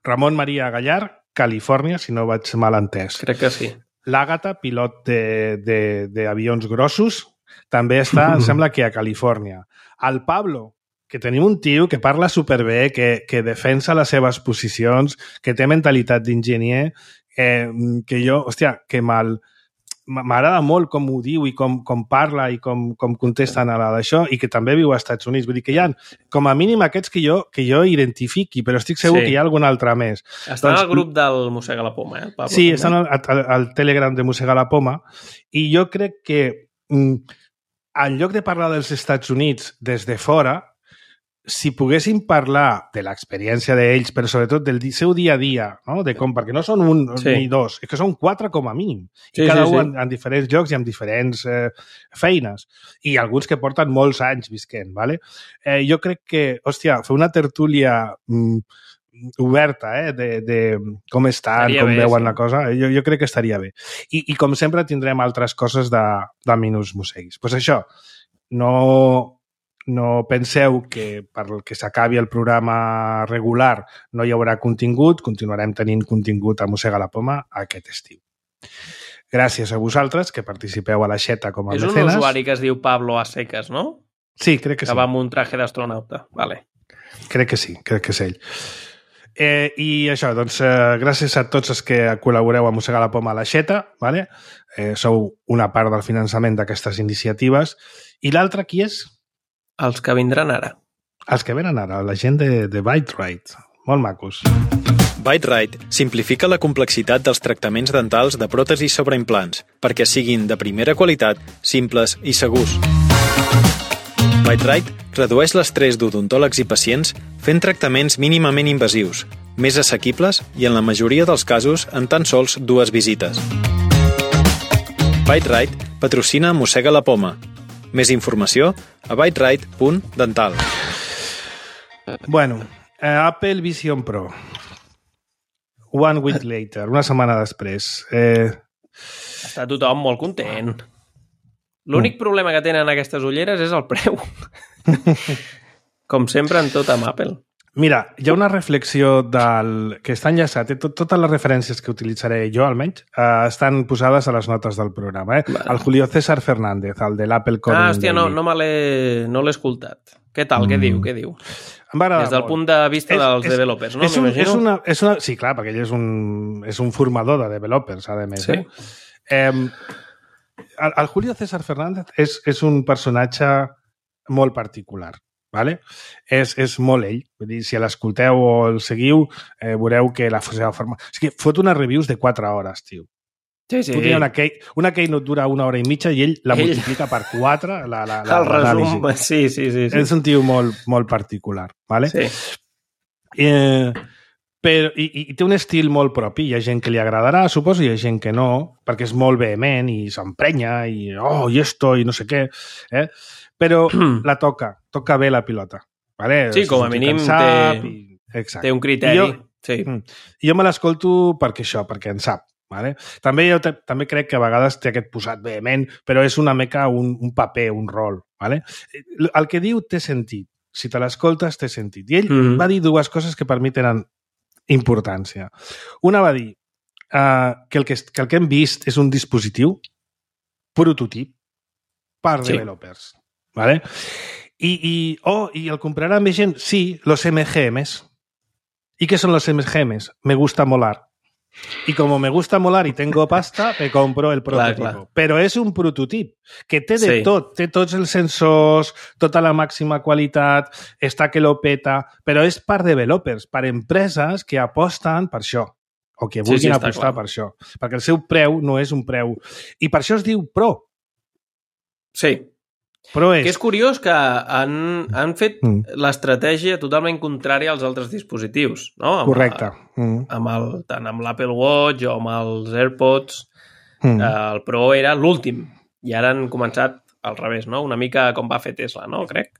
Ramon Maria Gallar, Califòrnia, si no vaig mal entès. Crec que sí. L'Àgata, pilot d'avions grossos, també està, em sembla que a Califòrnia. El Pablo, que tenim un tio que parla superbé, que defensa les seves posicions, que té mentalitat d'enginyer, que jo, hòstia, que m'agrada molt com ho diu i com parla i com contesten a d'això, i que també viu als Estats Units. Vull dir que hi ha, com a mínim, aquests que jo identifiqui, però estic segur que hi ha algun altre més. Estan al grup del Mossega la Poma, el Pablo. Sí, estan al Telegram de Mossega la Poma, i jo crec que en lloc de parlar dels Estats Units des de fora, si poguéssim parlar de l'experiència d'ells, però sobretot del seu dia a dia, no? De com, perquè no són un ni dos, és que són 4 com a mínim. I cada un en diferents llocs i amb diferents feines. I alguns que porten molts anys visquent. Vale? Jo crec que, hòstia, fer una tertúlia oberta, de com estan, com veuen la cosa, jo crec que estaria bé. I com sempre tindrem altres coses de Minuts Mosseguis. Doncs això, no penseu que perquè s'acabi el programa regular no hi haurà contingut, continuarem tenint contingut a Mossega la Poma aquest estiu. Gràcies a vosaltres que participeu a la Xeta com a mecenes. És un usuari que es diu Pablo a seques, no? Sí, crec que sí. Que va amb un traje d'astronauta. Vale. Crec que sí, crec que és ell. I això, doncs, gràcies a tots els que col·laboreu a Mossega la Poma a la Xeta, vale? Sou una part del finançament d'aquestes iniciatives. I l'altre qui és? Els que vindran ara. Els que venen ara, la gent de ByteRite. Molt macos. ByteRite simplifica la complexitat dels tractaments dentals de pròtesis sobre implants perquè siguin de primera qualitat, simples i segurs. ByteRite redueix l'estrès d'odontòlegs i pacients fent tractaments mínimament invasius, més assequibles i en la majoria dels casos en tan sols 2 visites. ByteRite patrocina Mossega la Poma. Més informació a byterite.dental. Bueno, Apple Vision Pro. One week later, una setmana després. Està tothom molt content. L'únic problema que tenen aquestes ulleres és el preu. Com sempre en tot amb Apple. Mira, hi ha una reflexió que està enllaçat. Totes les referències que utilitzaré jo, almenys, estan posades a les notes del programa. Vale. El Julio César Fernández, el de l'Apple Coding hòstia, no l'he escoltat. Què tal? Què diu? Des del punt de vista dels developers, no? M'imagino? Sí, clar, perquè ell és un formador de developers, a més. Sí. El Julio César Fernández és un personatge molt particular. Vale? És molt ell. Vull dir, si l'escolteu o el seguiu, veureu que la seva forma... És que fot unes reviews de 4 hores, tio. Sí. Una keynote dura 1 hora i mitja i ell la multiplica per 4 el resum, sí. És un tio molt particular. Vale? Sí. Però, i té un estil molt propi. Hi ha gent que li agradarà, suposo, i hi ha gent que no, perquè és molt vehement i s'emprenya i esto i no sé què. Però la toca bé la pilota. Vale? Sí, com a mínim té un criteri. Jo me l'escolto perquè en sap. Vale? També crec que a vegades té aquest posat vehement, però és una mica un paper, un rol. Vale? El que diu té sentit. Si te l'escoltes, té sentit. I ell va dir 2 coses que per mi tenen importància. Una va dir que el que hem vist és un dispositiu prototip per developers. ¿Vale? Y el comprarán bien, sí, los MGMs. ¿Y qué son los MGMs? Me gusta molar. Y como me gusta molar y tengo pasta, me compro el prototipo. Clar. Però és un prototip que té de tot. Té tots els sensors, tota la màxima qualitat, està que lo peta, però és per developers, per empreses que aposten per això, o que vulguin apostar per això. Perquè el seu preu no és un preu. I per això es diu Pro. Sí. Però Que és curiós que han fet l'estratègia totalment contrària als altres dispositius, no? Correcte. Tant amb l'Apple Watch o amb els AirPods, el Pro era l'últim, i ara han començat al revés, no? Una mica com va fer Tesla, no? Crec.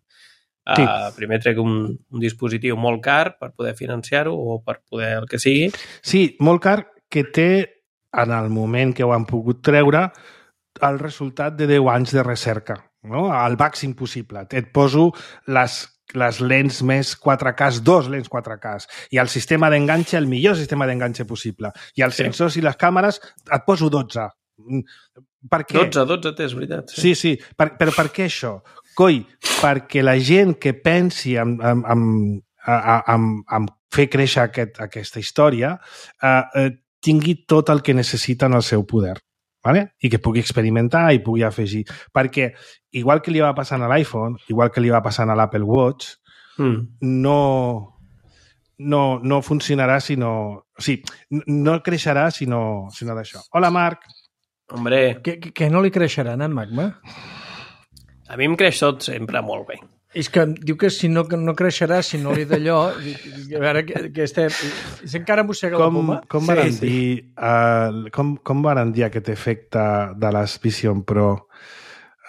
Sí. Primer trec un dispositiu molt car per poder financiar-ho o per poder el que sigui. Sí, molt car, que té, en el moment que ho han pogut treure, el resultat de 10 anys de recerca, no? Al màxim possible. Et poso les lents més 4K, 2 lents 4K, i el sistema d'enganxe, el millor sistema d'enganxe possible. I els sensors i les càmeres et poso 12. Per què? 12 té, és veritat. Sí. Però per què això? Coi, perquè la gent que pensi en fer créixer aquesta història tingui tot el que necessita en el seu poder. ¿Vale? I que pugui experimentar i pugui afegir. Perquè, igual que li va passant a l'iPhone, igual que li va passant a l'Apple Watch, no funcionarà si no... O sigui, no creixerà si no d'això. Hola, Marc. Hombre. Que no li creixeran, en Magma? A mi em creix tot sempre molt bé. És que diu que si no creixerà, si no li d'allò... A veure, que estem... Encara mossega la poma. Com van dir aquest efecte de les Vision Pro?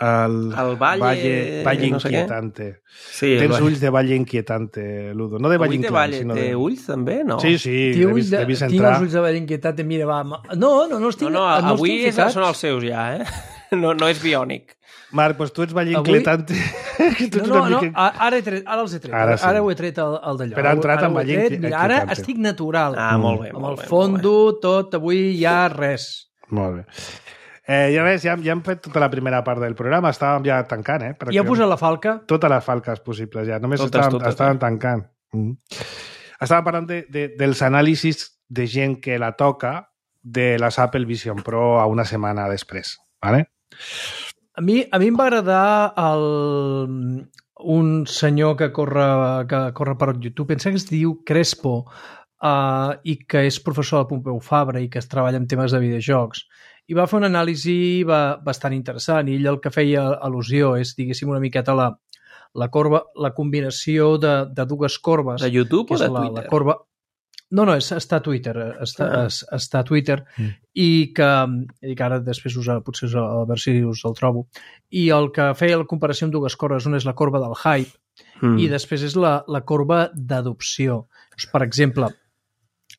El valle no sé inquietante. Sí, tens ulls de valle inquietante, Ludo. No de valle inquietante, sinó de... Té ulls, també? No. Sí, l'he vist entrar. Tinc els ulls de valle inquietante, mira, va... No els tinc. No, avui són els seus ja, No és biònic. Marc, doncs tu ets valle inquietante. No, ara els he tret. Ara ho he tret al d'allò. Però ha entrat amb valle inquietante. Ara estic natural. Molt bé. Amb el fondo, tot, avui ja res. Molt bé. Ja ves, ja hem fet tota la primera part del programa, estàvem ja tancant, Ja he posat la falca? Totes les falques possibles, ja. Només estàvem tancant. Estàvem parlant dels anàlisis de gent que la toca de les Apple Vision Pro a una setmana després, ¿vale? A mi em va agradar un senyor que corre per YouTube, pensa que es diu Crespo, i que és professor de Pompeu Fabra i que es treballa en temes de videojocs. I va fer una anàlisi bastant interessant, i ell el que feia al·lusió és, diguéssim, una miqueta la corba, la combinació de dues corbes. De YouTube o de Twitter? La corba... No, està a Twitter, està a Twitter, i que ara després potser a veure si us el trobo, i el que feia la comparació amb dues corbes, una és la corba del hype, i després és la corba d'adopció. Per exemple,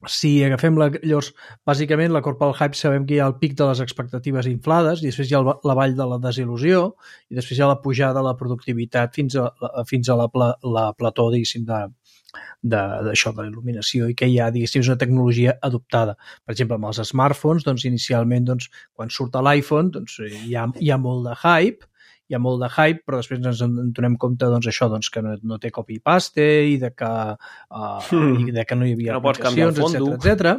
si agafem llavors, bàsicament la corba del hype sabem que hi ha el pic de les expectatives inflades i després hi ha la vall de la desil·lusió i després hi ha la pujada de la productivitat fins a la plató, diguéssim, d'això, de la il·luminació, i que hi ha, diguéssim, una tecnologia adoptada. Per exemple, amb els smartphones, doncs, inicialment, doncs, quan surt l'iPhone, doncs, hi ha molt de hype, però després ens en donem compte, doncs, això, doncs, que no té copy-paste i de que no hi havia aplicacions, etcètera.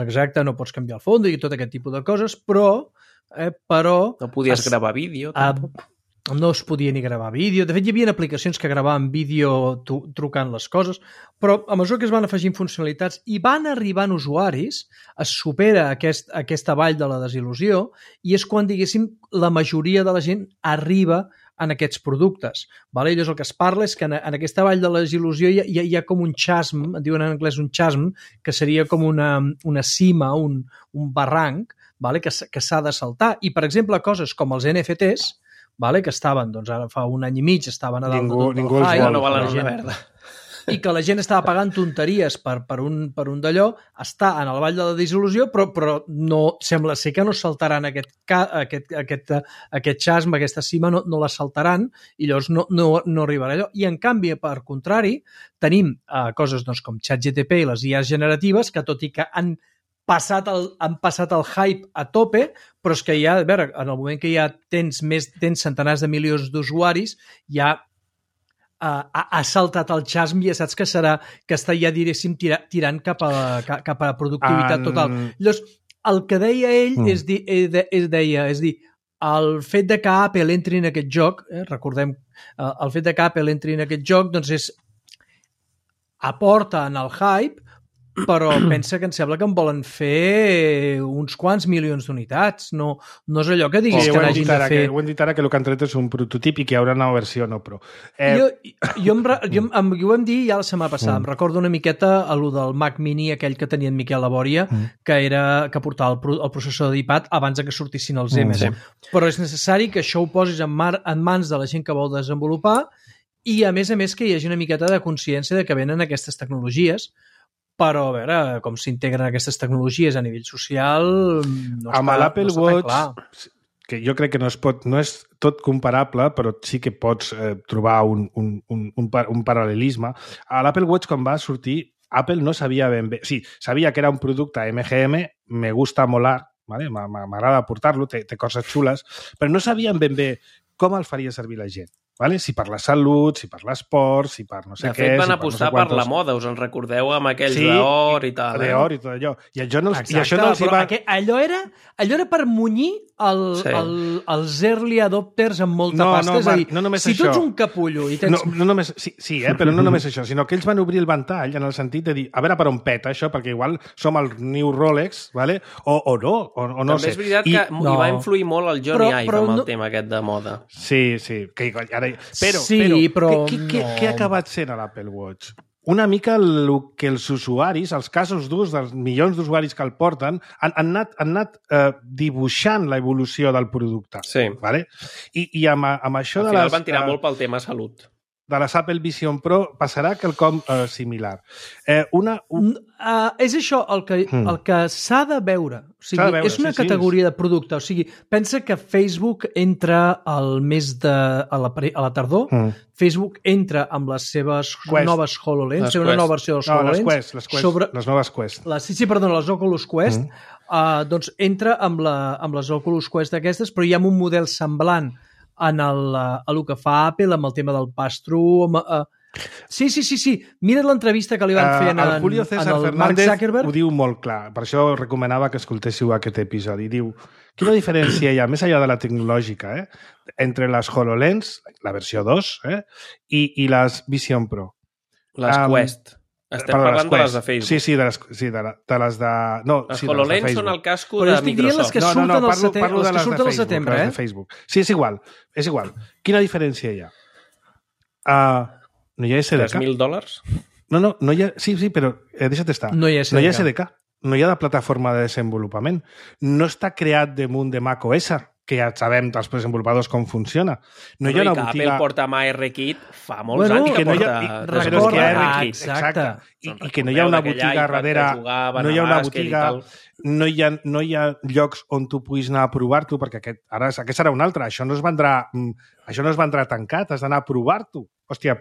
Exacte, no pots canviar el fondo i tot aquest tipus de coses, però no podies gravar vídeo, tampoc. No es podia ni gravar vídeo. De fet, hi havia aplicacions que gravaven vídeo trucant les coses, però a mesura que es van afegint funcionalitats i van arribant usuaris, es supera aquesta vall de la desil·lusió i és quan, diguéssim, la majoria de la gent arriba en aquests productes. Vale? I llavors el que es parla és que en aquesta vall de la desil·lusió hi ha com un chasm, en diuen en anglès un chasm, que seria com una cima, un barranc, vale? Que s'ha de saltar. I, per exemple, coses com els NFTs, vale? Que estaven, doncs ara fa un any i mig, estaven a dalt del hype, no valen una merda. I que la gent estava pagant tonteries per un d'allò, està en el vall de la desil·lusió, però no, sembla ser que no saltaran aquest chasm, aquesta cima, no la saltaran, i llavors no arribarà allò. I en canvi, per contrari, tenim coses doncs, com ChatGPT i les IAs generatives, que tot i que han passat el hype a tope, però és que ja, a veure, en el moment que ja tens centenars de milions d'usuaris, ja ha saltat el chasm i ja saps que està ja, diréssim, tirant cap a productivitat total. Llavors, el que deia ell és dir, el fet de que Apple entri en aquest joc, recordem, el fet de que Apple entri en aquest joc, doncs aporta en el hype, però pensa que em sembla que en volen fer uns quants milions d'unitats. No és allò que diguis que n'hagin de fer... Ho hem dit ara, que el que han tret és un prototip i que hi haurà una versió no pro. Ho vam dir ja la setmana passada. Em recordo una miqueta a lo del Mac Mini, aquell que tenia en Miquel Labòria, que portava el processor d'iPad abans que sortissin els M's. Però és necessari que això ho posis en mans de la gent que vol desenvolupar i, a més, que hi hagi una miqueta de consciència de que venen aquestes tecnologies, però a veure com s'integren aquestes tecnologies a nivell social no amb l'Apple Watch, clar. Que jo crec que no és tot comparable, però sí que pots trobar un paral·lelisme. A l'Apple Watch, quan va sortir, Apple no sabia ben bé... Sí, sabia que era un producte MGM, me gusta molar, ¿vale? M'agrada portar-lo, té coses xules, però no sabien ben bé com el faria servir la gent. ¿Vale? Si per la salut, si per l'esport, si per no sé què... De fet, van apostar per la moda, us en recordeu, amb aquells d'or i tal. Sí, d'or i tot allò. I això no els va... Allò era per munyir els early adopters amb molta pasta. És a dir, si tu ets un capullo i tens... Però no només això, sinó que ells van obrir el ventall en el sentit de dir, a veure per on peta això, perquè igual som el New Rolex, ¿vale? o no, o no sé. També és veritat que hi va influir molt el Johnny Ive amb el tema aquest de moda. Sí, que però què ha acabat sent a l'Apple Watch? Una mica el que els usuaris, els casos d'ús dels milions d'usuaris que el porten, han anat dibuixant l'evolució del producte. Sí. ¿vale? I amb això al final van tirar molt pel tema salut. De les Apple Vision Pro passarà quelcom similar. És això el que s'ha de veure. O sigui, és una categoria de producte. O sigui, pensa que Facebook entra al mes a la tardor. Facebook entra amb les seves noves HoloLens, una nova versió dels HoloLens. Les noves Quest. Les Oculus Quest. Doncs entra amb les Oculus Quest aquestes, però hi ha un model semblant en el que fa Apple amb el tema del pass-through. Sí. Mira't l'entrevista que li van fer el Julio César Fernández Zuckerberg. Ho diu molt clar. Per això recomanava que escoltéssiu aquest episodi. Diu, quina diferència hi ha, més enllà de la tecnològica, entre les HoloLens, la versió 2, i les Vision Pro? Les Quest. Estem parlant de les de Facebook. Sí, de les de... No, les HoloLens són el casco de Microsoft. Però estic dient les que surten al setembre, de Facebook. Sí, és igual. Quina diferència hi ha? No hi ha SDK. $3.000? No hi ha... Sí, però deixa't estar. No hi ha SDK. No hi ha de plataforma de desenvolupament. No està creat damunt de macOS, que ja sabem dels desenvolupadors com funciona. No hi ha una botiga... Apple porta amb ARKit fa molts anys que porta ARKit. Exacte. I que no hi ha una botiga darrere... No hi ha una botiga... No hi ha llocs on tu puguis anar a provar-t'ho, perquè aquest serà un altre. Això no es vendrà tancat, has d'anar a provar-t'ho. Hòstia,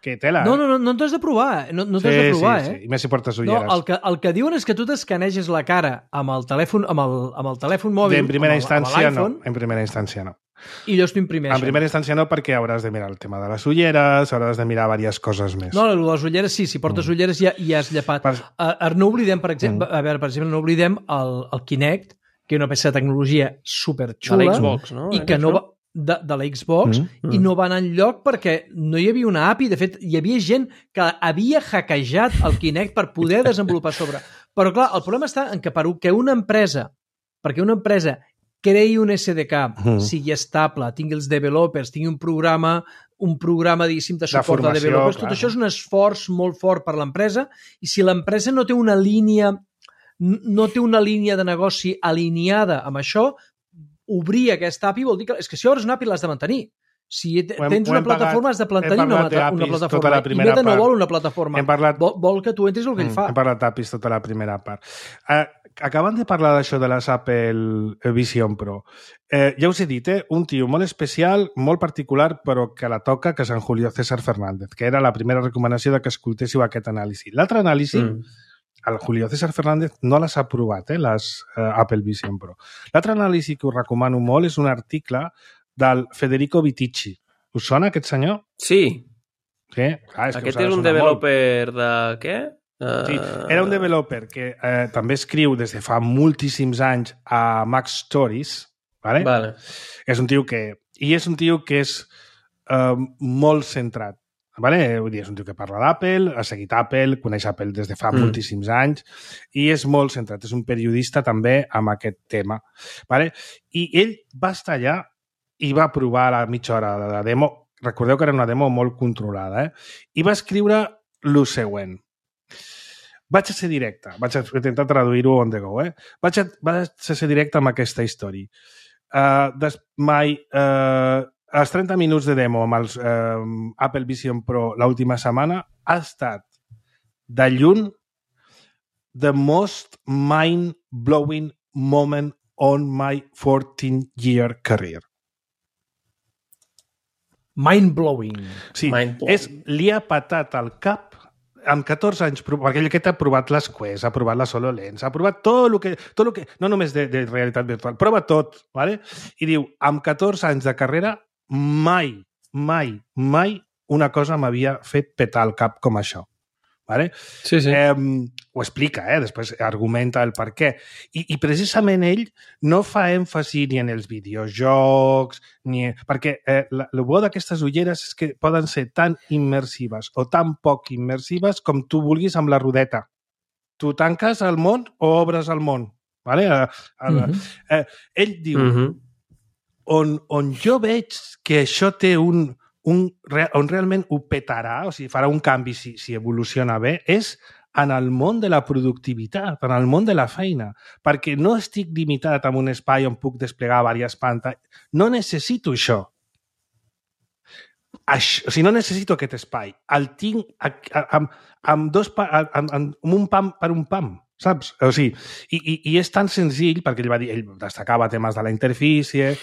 que tela. No t'has de provar. No t'has de provar, Sí. I més si portes ulleres. No, el que diuen és que tu t'escaneges la cara amb el telèfon mòbil. En primera instància no. I llavors t'ho imprimeixen. En primera instància no, perquè hauràs de mirar el tema de les ulleres, hauràs de mirar diverses coses més. No, les ulleres sí, si portes ulleres ja has llepat. No oblidem, per exemple, no oblidem el Kinect, que és una peça de tecnologia superxula. De l'Xbox, no? I que no va... de la Xbox i no va anar enlloc perquè no hi havia una API. De fet, hi havia gent que havia hackejat el Kinect per poder desenvolupar sobre. Però clar, el problema està en que perquè una empresa creï un SDK, sigui estable, tingui els developers, tingui un programa, diguéssim, de suport de developers, tot això és un esforç molt fort per l'empresa, i si l'empresa no té una línia de negoci alineada amb això, obrir aquesta API vol dir que és que si obres una API l'has de mantenir. Si tens una plataforma has de mantenir una plataforma. I Meta no vol una plataforma. Vol que tu entris el que ell fa. Hem parlat d'APIs tota la primera part. Acabant de parlar d'això de les Apple Vision Pro, ja us he dit, un tio molt especial, molt particular, però que la toca, que és en Julio César Fernández, que era la primera recomanació de que escoltéssiu aquest anàlisi. L'altre anàlisi, el Julio César Fernández no les ha provat, les Apple Vision Pro. L'altre anàlisi que us recomano molt és un article del Federico Viticci. Us sona aquest senyor? Sí. Aquest és un developer de què? Sí, era un developer que també escriu des de fa moltíssims anys a Mac Stories, vale? És un tio que és molt centrat Vale? Vull dir, és un tio que parla d'Apple, ha seguit Apple, coneix Apple des de fa moltíssims anys i és molt centrat. És un periodista també amb aquest tema. Vale? I ell va estar allà i va provar la mitja hora de la demo. Recordeu que era una demo molt controlada, I va escriure el següent. Vaig a ser directe. Vaig a intentar traduir-ho on the go, Vaig a ser directe amb aquesta història. Els 30 minuts de demo amb els Apple Vision Pro l'última setmana ha estat de lluny the most mind-blowing moment on my 14-year career. Mind-blowing. Sí, li ha patat al cap amb 14 anys, perquè aquest ha provat les Quest, ha provat les HoloLens, ha provat tot el que no només de realitat virtual, prova tot, ¿vale? I diu, amb 14 anys de carrera, mai una cosa m'havia fet petar el cap com això. ¿Vale? Sí. Ho explica, després argumenta el per què. I precisament ell no fa èmfasi ni en els videojocs, perquè el bo d'aquestes ulleres és que poden ser tan immersives o tan poc immersives com tu vulguis amb la rodeta. Tu tanques el món o obres el món. ¿Vale? Ell diu, on jo veig que això té on realment ho petarà, o sigui, farà un canvi si evoluciona bé, és en el món de la productivitat, en el món de la feina, perquè no estic limitat amb un espai on puc desplegar diverses pantalles. No necessito això. O sigui, no necessito aquest espai. El tinc amb un pam per un pam, saps? O sigui, i és tan senzill, perquè ell destacava temes de la interfície,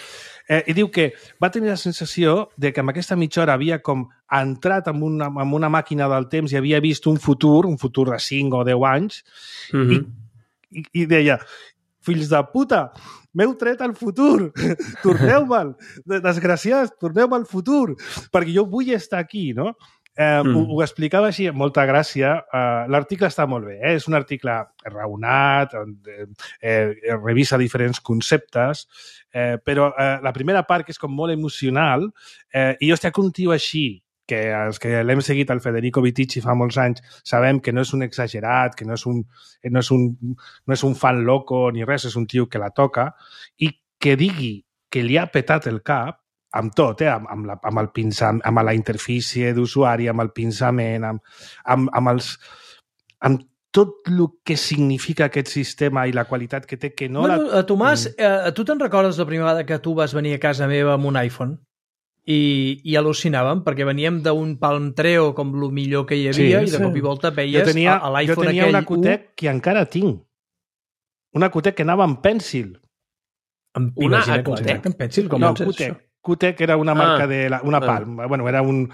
i diu que va tenir la sensació de que amb aquesta mitja hora havia com entrat en una màquina del temps i havia vist un futur de 5 o 10 anys, i deia, fills de puta, m'heu tret al futur, torneu-me'l, desgraciats, torneu-me al futur, perquè jo vull estar aquí, no? Ho explicava així, amb molta gràcia. L'article està molt bé, és un article raonat, revisa diferents conceptes, però la primera part, que és com molt emocional, i jo estic un tio així, que els que l'hem seguit, el Federico Vitici, fa molts anys, sabem que no és un exagerat, que no és un fan loco ni res, és un tio que la toca, i que digui que li ha petat el cap, amb tot, amb el pinçament, amb la interfície d'usuari, amb el pinçament, amb tot el que significa aquest sistema i la qualitat que té, que no... Bueno, Tomàs, tu te'n recordes la primera vegada que tu vas venir a casa meva amb un iPhone? I al·lucinàvem, perquè veníem d'un Palm Treo com el millor que hi havia, i de cop i volta veies l'iPhone aquell... Jo tenia una Qtec que encara tinc. Una Qtec que anava amb pèncil. Una Qtec amb pèncil? Com és això? Qtec era una marca una Palm. Bueno, era una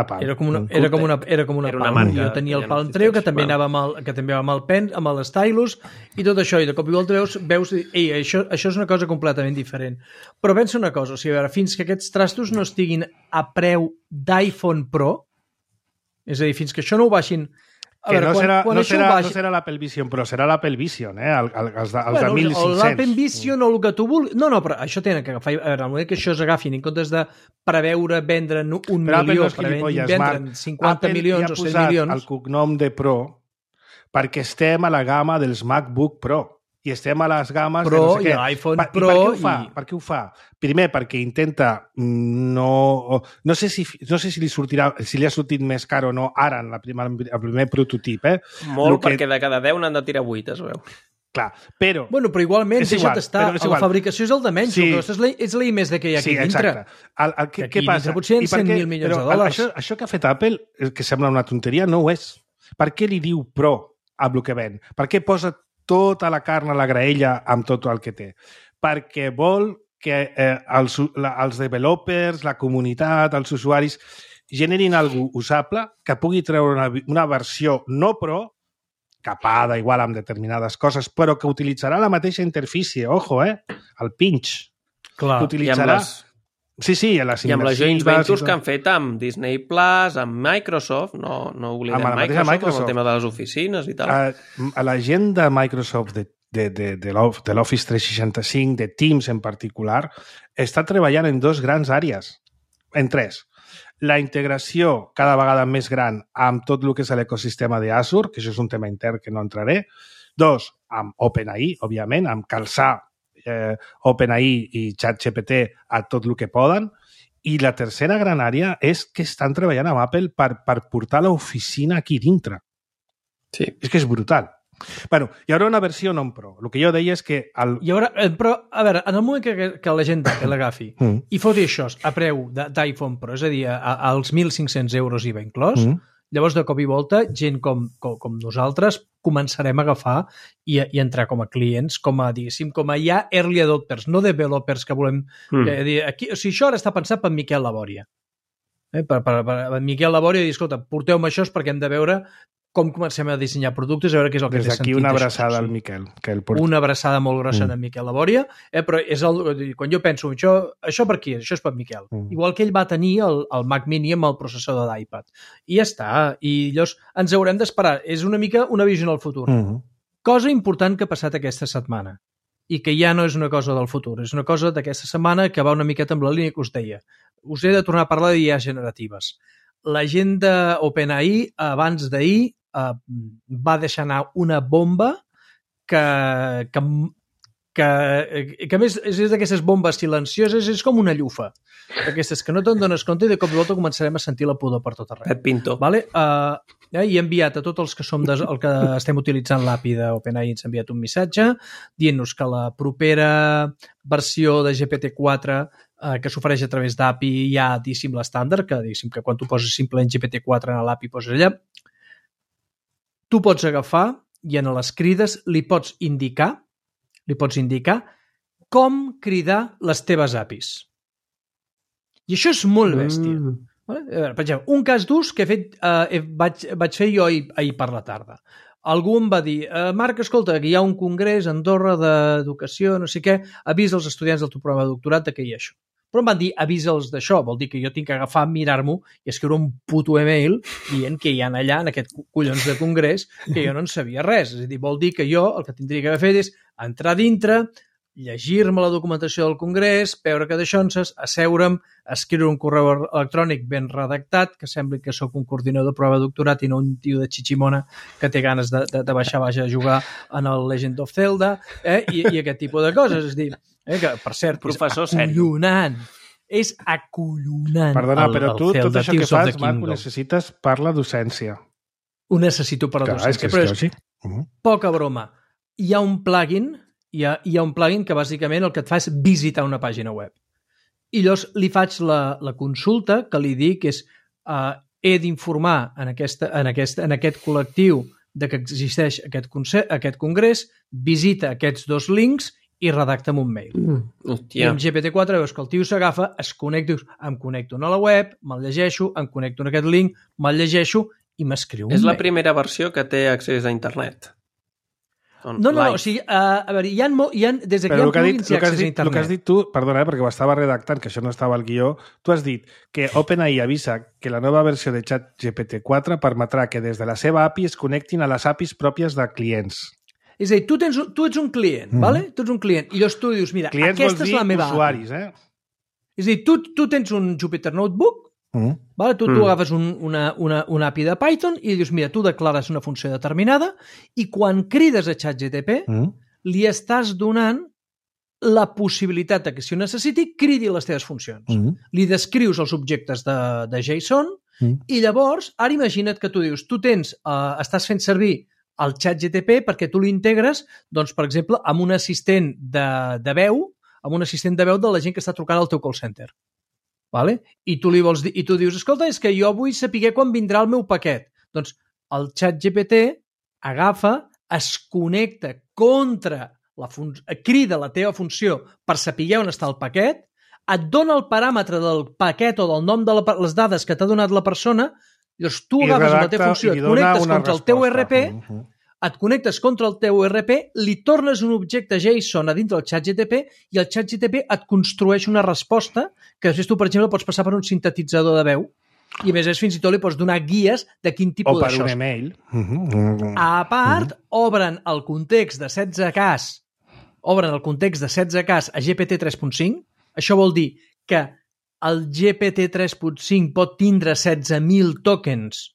Palm. Era com una Palm. Marca, jo tenia el Palm Treo, que també anava amb l'Stylus, i tot això, i de cop i volta veus això és una cosa completament diferent. Però pensa una cosa, o sigui, a veure, fins que aquests trastos no estiguin a preu d'iPhone Pro, és a dir, fins que això no ho baixin... Que no serà l'Apple Vision Pro, serà l'Apple Vision, els de 1.500. L'Apple Vision o el que tu vulguis... No, però això tenen que agafar... A veure, el moment que això s'agafin, en comptes de preveure vendre 1 milió, vendre 50 milions o 100 milions... Apple ja ha posat el cognom de Pro perquè estem a la gamma dels MacBook Pro i estem a les gammes Pro, de no sé què. I l'iPhone Pro... Per què ho fa? Primer, perquè intenta no sé si li sortirà, si li ha sortit més car o no ara en el primer prototip. Molt, perquè de cada 10 n'han de tirar 8, es veu. Clar, però... Bueno, però igualment, deixa't estar. La fabricació és el de menys, és la I+D que hi ha aquí dintre. Què passa? Potser en 100.000 milions de dòlars. Això que ha fet Apple, que sembla una tonteria, no ho és. Per què li diu Pro a el que ven? Per què posa tota la carn a la graella amb tot el que té? Perquè vol que els developers, la comunitat, els usuaris generin alguna cosa usable que pugui treure una versió no Pro, capada igual amb determinades coses, però que utilitzarà la mateixa interfície, ojo, el pinch. Clar, que utilitzarà... Sí, a les i amb les joint ventures que han fet amb Disney Plus, amb Microsoft, no oblidem Microsoft, amb el tema de les oficines i tal. A la gent de Microsoft, de l'Office 365, de Teams en particular, està treballant en 2 grans àrees, en 3. la integració cada vegada més gran amb tot el que és l'ecosistema d'Azure, que això és un tema intern que no entraré. 2, amb OpenAI, òbviament, amb calçar OpenAI i ChatGPT a tot el que poden. I la tercera gran àrea és que estan treballant amb Apple per portar l'oficina aquí dintre. Sí. És que és brutal. Bueno, hi haurà una versió non-pro. El que jo deia és que... Però, a veure, en el moment que la gent l'agafi i foti això a preu d'iPhone Pro, és a dir, als 1.500 euros IVA inclòs, llavors de cop i volta, gent com nosaltres començarem a agafar i entrar com a clients, com a ja early adopters, no developers que volem dir. Aquí, o sigui, això ara està pensat per Miquel Labòria. Per Miquel Labòria dir, escolta, porteu-me això perquè hem de veure com comencem a dissenyar productes, a veure què és el que té sentit. Des d'aquí una abraçada al Miquel. Una abraçada molt grossa de Miquel Labòria, però és quan jo penso, això per qui? Això és per Miquel. Igual que ell va tenir el Mac Mini amb el processador d'iPad. I ja està. I llavors ens haurem d'esperar. És una mica una visió en el futur. Cosa important que ha passat aquesta setmana i que ja no és una cosa del futur, és una cosa d'aquesta setmana que va una miqueta amb la línia que us deia. Us he de tornar a parlar d'IA generatives. La gent d'OpenAI, abans d'ahir, va deixar anar una bomba que a més és d'aquestes bombes silencioses, és com una llufa. Aquestes que no te'n dones compte i de cop i volta començarem a sentir la pudor per tot arreu. Pep Pinto. Vale? I he enviat a tots els que som el que estem utilitzant l'API d'OpenAI, ens ha enviat un missatge dient-nos que la propera versió de GPT-4 que s'ofereix a través d'API hi ha, diguéssim, l'estàndard, que quan tu poses simplement GPT-4 en l'API poses allà, tu pots agafar i en les crides li pots indicar com cridar les teves APIs. I això és molt bèstia. Per exemple, un cas d'ús que vaig fer jo ahir per la tarda. Algú em va dir, Marc, escolta, que hi ha un congrés a Andorra d'educació, no sé què, avisa els estudiants del teu programa de doctorat que hi ha això. Però em van dir, avisa'ls d'això, vol dir que jo tinc que agafar, mirar-m'ho i escriure un puto email dient que hi ha allà, en aquest collons de congrés, que jo no en sabia res. És a dir, vol dir que jo el que tindria que haver fet és entrar dintre, llegir-me la documentació del congrés, veure que d'aixonses, asseure'm, escriure un correu electrònic ben redactat, que sembli que sóc un coordinador de prova de doctorat i no un tio de xiximona que té ganes de baixar a jugar en el Legend of Zelda, i aquest tipus de coses. És a dir, que, per cert, professor és acollonant. És acollonant. Perdona, però tu, tot això que fas, Marc, ho necessites per la docència. Ho necessito per la docència. Però és poca broma. Hi ha un plugin que bàsicament el que et fa és visitar una pàgina web. I llavors li faig la consulta que li dic és he d'informar en aquest col·lectiu de que existeix aquest congrés, visita aquests 2 links i redacta'm un mail. I amb GPT-4 veus que el tio s'agafa, es connecta, em connecto a la web, me'l llegeixo, em connecto en aquest link, me'l llegeixo i m'escriu un mail. És la primera versió que té accés a internet. No, o sigui, a veure, hi ha des d'aquí hi ha plugins i accés a internet. El que has dit tu, perdona, perquè ho estava redactant, que això no estava al guió, tu has dit que OpenAI avisa que la nova versió de ChatGPT-4 permetrà que des de la seva API es connectin a les APIs pròpies de clients. És a dir, tu ets un client, vale? Tu ets un client, i llavors tu dius, mira, clients aquesta és la meva usuaris, API. És a dir, tu tens un Jupyter Notebook, vale? Tu agafes una API de Python i dius, mira, tu declares una funció determinada i quan crides a ChatGPT li estàs donant la possibilitat que si ho necessiti cridi les teves funcions. Li descrius els objectes de JSON i llavors, ara imagina't que tu dius, tu estàs fent servir el ChatGPT perquè tu l'integres, doncs, per exemple, amb un assistent de veu, de la gent que està trucant al teu call center. Vale? I tu dius, escolta, és que jo vull saber quan vindrà el meu paquet. Doncs el ChatGPT agafa, es connecta crida la teva funció per saber on està el paquet, et dona el paràmetre del paquet o del nom de les dades que t'ha donat la persona. Llavors, tu agafes la teva funció, et connectes contra el teu RP, li tornes un objecte JSON a dintre del ChatGPT i el ChatGPT et construeix una resposta que després tu, per exemple, pots passar per un sintetitzador de veu i a més fins i tot li pots donar guies de quin tipus d'això. O per un email. A part, obren el context de 16K a GPT 3.5. Això vol dir que el GPT 3.5 pot tindre 16.000 tokens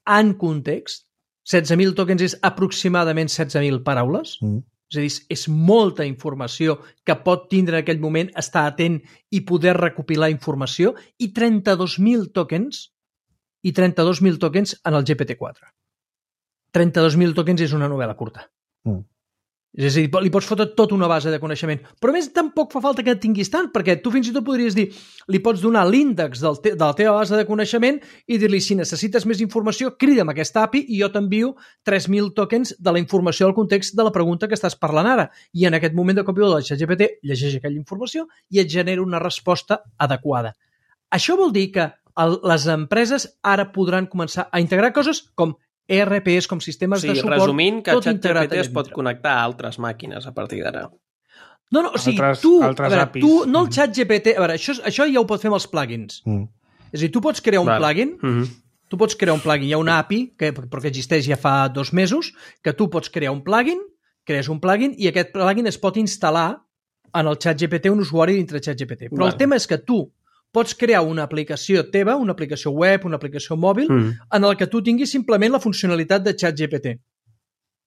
en context. 16.000 tokens és aproximadament 16.000 paraules. És a dir, és molta informació que pot tindre en aquell moment, estar atent i poder recopilar informació, i 32.000 tokens en el GPT-4. 32.000 tokens és una novel·la curta. És a dir, li pots fotre tota una base de coneixement. Però a més, tampoc fa falta que tinguis tant, perquè tu fins i tot podries dir, li pots donar l'índex de la teva base de coneixement i dir-li, si necessites més informació, crida'm aquesta API i jo t'envio 3.000 tokens de la informació del context de la pregunta que estàs parlant ara. I en aquest moment de copy del ChatGPT llegeix aquella informació i et genera una resposta adequada. Això vol dir que les empreses ara podran començar a integrar coses com ERPs, com sistemes de suport, resumint, que tot integrat ChatGPT es pot connectar a altres màquines a partir d'ara. No, o sigui, tu, no el ChatGPT... A veure, això ja ho pots fer amb els plugins. És a dir, tu pots crear un plugin, hi ha una API, però que existeix ja fa 2 mesos, que tu pots crear un plugin, crees un plugin, i aquest plugin es pot instal·lar en el ChatGPT, un usuari dintre ChatGPT. Però el tema és que tu pots crear una aplicació teva, una aplicació web, una aplicació mòbil, en el que tu tinguis simplement la funcionalitat de ChatGPT.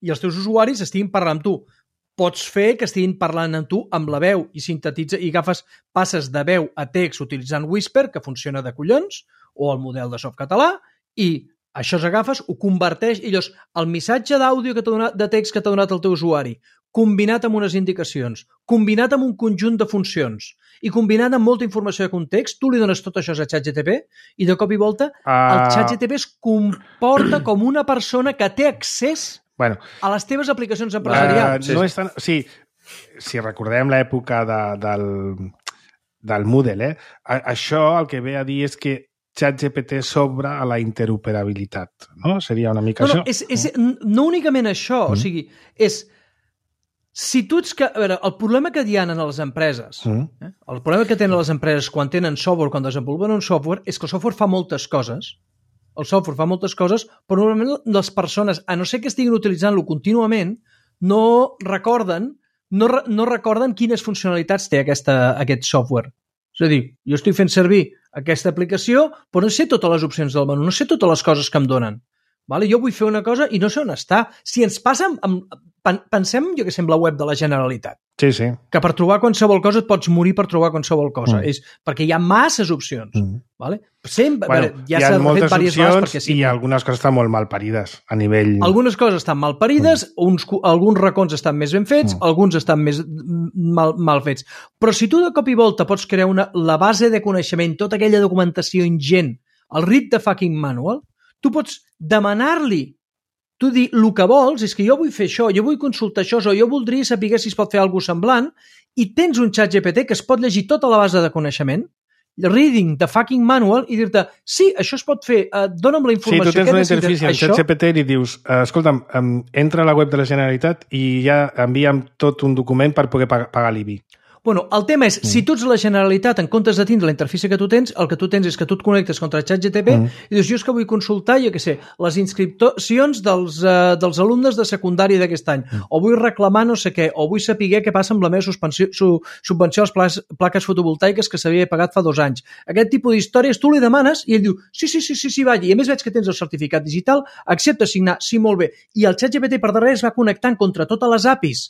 I els teus usuaris estiguin parlant amb tu. Pots fer que estiguin parlant amb tu amb la veu i sintetitza i passes de veu a text utilitzant Whisper, que funciona de collons, o el model de Softcatalà, i això s'agafes, ho converteix, i llavors el missatge d'àudio de text que t'ha donat el teu usuari, combinat amb unes indicacions, combinat amb un conjunt de funcions i combinat amb molta informació de context, tu li dones tot això a ChatGPT i de cop i volta el ChatGPT es comporta com una persona que té accés a les teves aplicacions empresarials. No és tan... Sí, si recordem l'època del Moodle, això el que ve a dir és que ChatGPT s'obre a la interoperabilitat, no? Seria una mica això? No únicament això, o sigui, és... Si tu ets... A veure, el problema que hi ha en les empreses, el problema que tenen les empreses quan tenen software, quan desenvolupen un software, és que el software fa moltes coses. El software fa moltes coses, però normalment les persones, a no ser que estiguin utilitzant-lo contínuament, no recorden quines funcionalitats té aquest software. És a dir, jo estic fent servir aquesta aplicació, però no sé totes les opcions del menú, no sé totes les coses que em donen. Vale? Jo vull fer una cosa i no sé on està. Si ens passa... Pensem, jo que sé, en la web de la Generalitat. Sí, sí. Que per trobar qualsevol cosa et pots morir per trobar qualsevol cosa. És perquè hi ha masses opcions. Vale? Sempre, hi ha moltes opcions i algunes coses estan molt mal parides a nivell... Algunes coses estan mal parides, alguns racons estan més ben fets, alguns estan més mal fets. Però si tu de cop i volta pots crear la base de coneixement, tota aquella documentació ingent, el read the fucking manual, tu pots demanar-li, tu dir, el que vols és que jo vull fer això, jo vull consultar això, o jo voldria saber si es pot fer alguna cosa semblant, i tens un ChatGPT que es pot llegir tota la base de coneixement, reading the fucking manual, i dir-te, sí, això es pot fer, dona'm la informació. Sí, tu tens una interfície amb ChatGPT i li dius, escolta'm, entra a la web de la Generalitat i ja envia'm tot un document per poder pagar l'IBI. Bueno, el tema és, si tu ets la Generalitat, en comptes de tindre la interfície que tu tens, el que tu tens és que tu et connectes contra ChatGPT i dius, jo és que vull consultar, jo què sé, les inscripcions dels alumnes de secundària d'aquest any, o vull reclamar no sé què, o vull saber què passa amb la meva subvenció a les plaques fotovoltaiques que s'havia pagat fa 2 anys. Aquest tipus d'històries tu li demanes i ell diu, sí, vaja, i a més veig que tens el certificat digital, accepta signar, sí, molt bé. I el ChatGPT per darrere es va connectant contra totes les APIs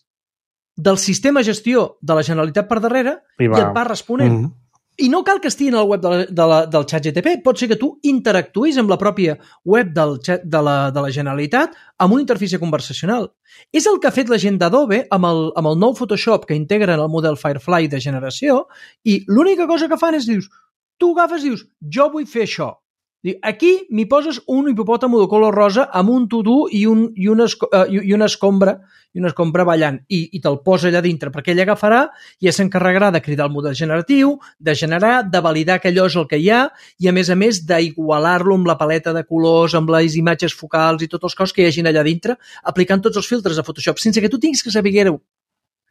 del sistema gestió de la Generalitat per darrere i et va responent. I no cal que estigui en el web del ChatGPT, pot ser que tu interactuïs amb la pròpia web de la Generalitat amb una interfície conversacional. És el que ha fet la gent d'Adobe amb el nou Photoshop que integren el model Firefly de generació i l'única cosa que fan és, tu agafes i dius, jo vull fer això. Aquí m'hi poses un hipopòtamo de color rosa amb un to-do i una escombra ballant i te'l posa allà dintre perquè ell agafarà i s'encarregarà de cridar el model generatiu, de generar, de validar que allò és el que hi ha i a més d'igualar-lo amb la paleta de colors, amb les imatges focals i tots els coses que hi hagin allà dintre, aplicant tots els filtres de Photoshop sense que tu tinguis que saber-ho.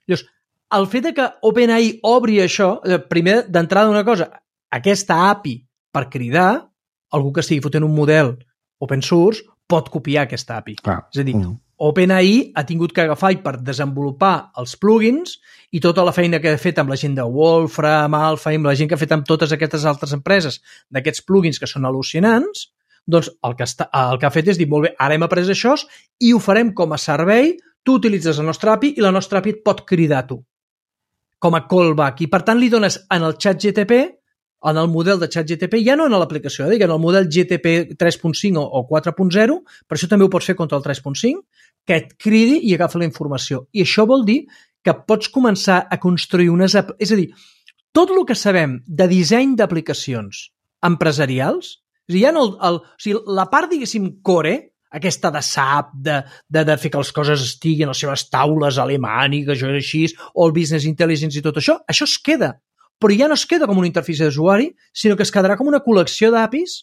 Llavors, el fet que OpenAI obri això, primer d'entrada una cosa, aquesta API per cridar, algú que estigui fotent un model open source pot copiar aquesta API. És a dir, OpenAI ha tingut que agafar i per desenvolupar els plugins i tota la feina que ha fet amb la gent de Wolfram, Alphaim, la gent que ha fet amb totes aquestes altres empreses d'aquests plugins que són al·lucinants, doncs el que ha fet és dir, molt bé, ara hem après això i ho farem com a servei, tu utilitzes la nostra API i la nostra API et pot cridar tu com a callback. I per tant li dones en el ChatGTP, en el model de ChatGTP, ja no en l'aplicació, en el model GTP 3.5 o 4.0, per això també ho pots fer contra el 3.5, que et cridi i agafa la informació. I això vol dir que pots començar a construir unes... És a dir, tot el que sabem de disseny d'aplicacions empresarials, és a dir, ja no o sigui, la part, diguéssim, core, aquesta de SAP, de fer que les coses estiguin a les seves taules alemàniques, això és així, o el business intelligence i tot això es queda. Però ja no es queda com una interfície d'usuari, sinó que es quedarà com una col·lecció d'APIs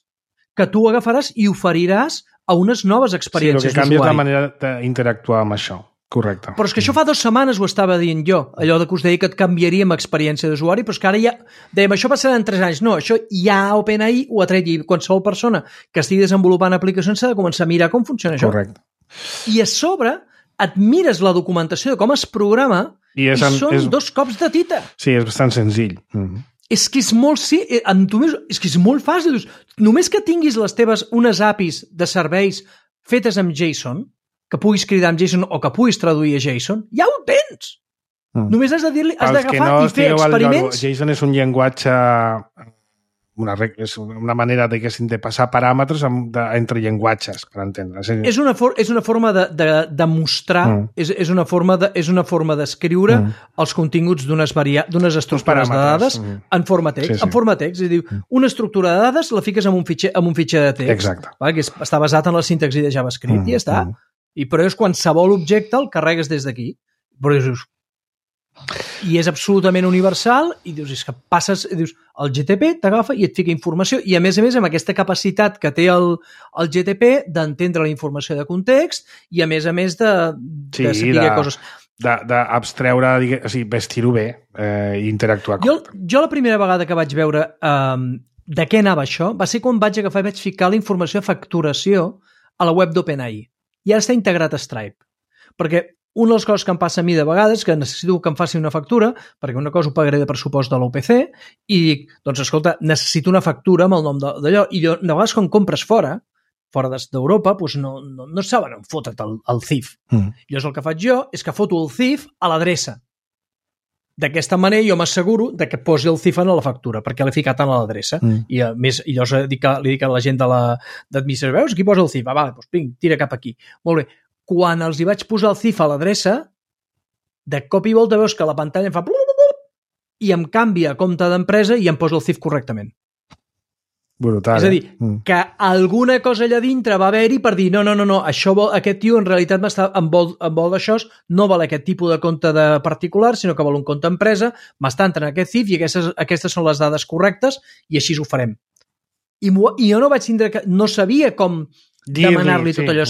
que tu agafaràs i oferiràs a unes noves experiències d'usuari. Sí, el que canvia és la manera d'interactuar amb això. Correcte. Però és que això fa 2 setmanes ho estava dient jo, allò que us deia que et canviaria amb experiència d'usuari, però és que ara ja dèiem, això passarà en 3 anys. No, això ja OpenAI ho ha tret i qualsevol persona que estigui desenvolupant aplicacions s'ha de començar a mirar com funciona això. Correcte. I a sobre et mires la documentació de com es programa i són 2 cops de tita. Sí, és bastant senzill. És que és molt, és que és molt fàcil. Només que tinguis les teves unes APIs de serveis fetes amb JSON, que puguis cridar amb JSON o que puguis traduir a JSON, ja ho tens. Només has de dir-li, has d'agafar i fer experiments. JSON és un llenguatge, és una manera de passar paràmetres entre llenguatges, per entendre. És una forma de mostrar, és una forma d'escriure els continguts d'unes estructures de dades en forma text. En forma text, és a dir, una estructura de dades la fiques en un fitxer de text. Exacte. Que està basat en la sintaxi de JavaScript i ja està. Però és qualsevol objecte el carregues des d'aquí. I és absolutament universal i dius, és que passes, dius, el GTP t'agafa i et fica informació i a més amb aquesta capacitat que té el GTP d'entendre la informació de context i a més de saber coses. D'abstreure, o sigui, vestir-ho bé i interactuar. Jo la primera vegada que vaig veure de què anava això va ser quan vaig agafar i vaig ficar la informació de facturació a la web d'OpenAI. I ara està integrat a Stripe. Perquè una de les coses que em passa a mi de vegades que necessito que em faci una factura, perquè una cosa ho pagaré de pressupost de l'OPC, i dic, doncs escolta, necessito una factura amb el nom d'allò. I de vegades quan compres fora d'Europa, doncs no saben on fotre't el CIF. Llavors el que faig jo és que foto el CIF a l'adreça. D'aquesta manera jo m'asseguro que posi el CIF en la factura, perquè l'he ficat en l'adreça. I a més, llavors li dic a la gent d'administració, veus, aquí posa el CIF? Doncs vinc, tira cap aquí. Molt bé. Quan els hi vaig posar el CIF a l'adreça, de cop i volta veus que la pantalla em fa i em canvia a compte d'empresa i em posa el CIF correctament. Brutal. És a dir, que alguna cosa allà dintre va haver-hi per dir no, aquest tio en realitat em vol d'això, no vol aquest tipus de compte de particular, sinó que vol un compte empresa, m'està entrant aquest CIF i aquestes són les dades correctes i així ho farem. I jo no vaig tindre no sabia com demanar-li tot allò.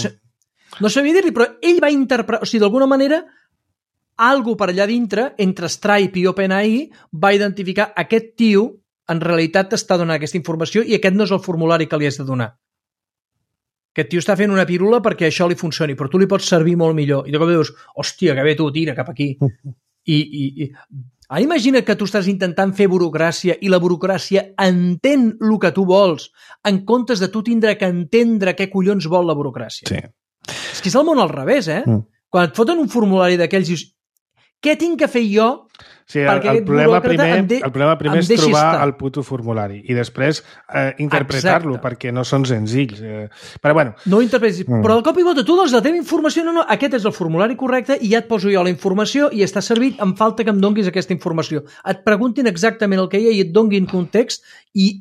No sabia dir-li, però ell va interpretar, o sigui, d'alguna manera, algú per allà dintre, entre Stripe i OpenAI, va identificar aquest tio en realitat t'està donant aquesta informació i aquest no és el formulari que li has de donar. Aquest tio està fent una pirula perquè això li funcioni, però tu li pots servir molt millor. I de cop dius, hòstia, que bé tu, tira cap aquí. Imagina que tu estàs intentant fer burocràcia i la burocràcia entén el que tu vols en comptes de tu tindre que entendre què collons vol la burocràcia. Sí. És que és el món al revés, Quan et foten un formulari d'aquells dius, què tinc que fer jo? Sí, el problema primer és trobar el puto formulari i després interpretar-lo perquè no són senzills. Però bueno. No ho interpretis, però al cop i volta tu dones la teva informació, no, aquest és el formulari correcte i ja et poso jo la informació i està servit, em falta que em donguis aquesta informació. Et preguntin exactament el que hi ha i et donguin context i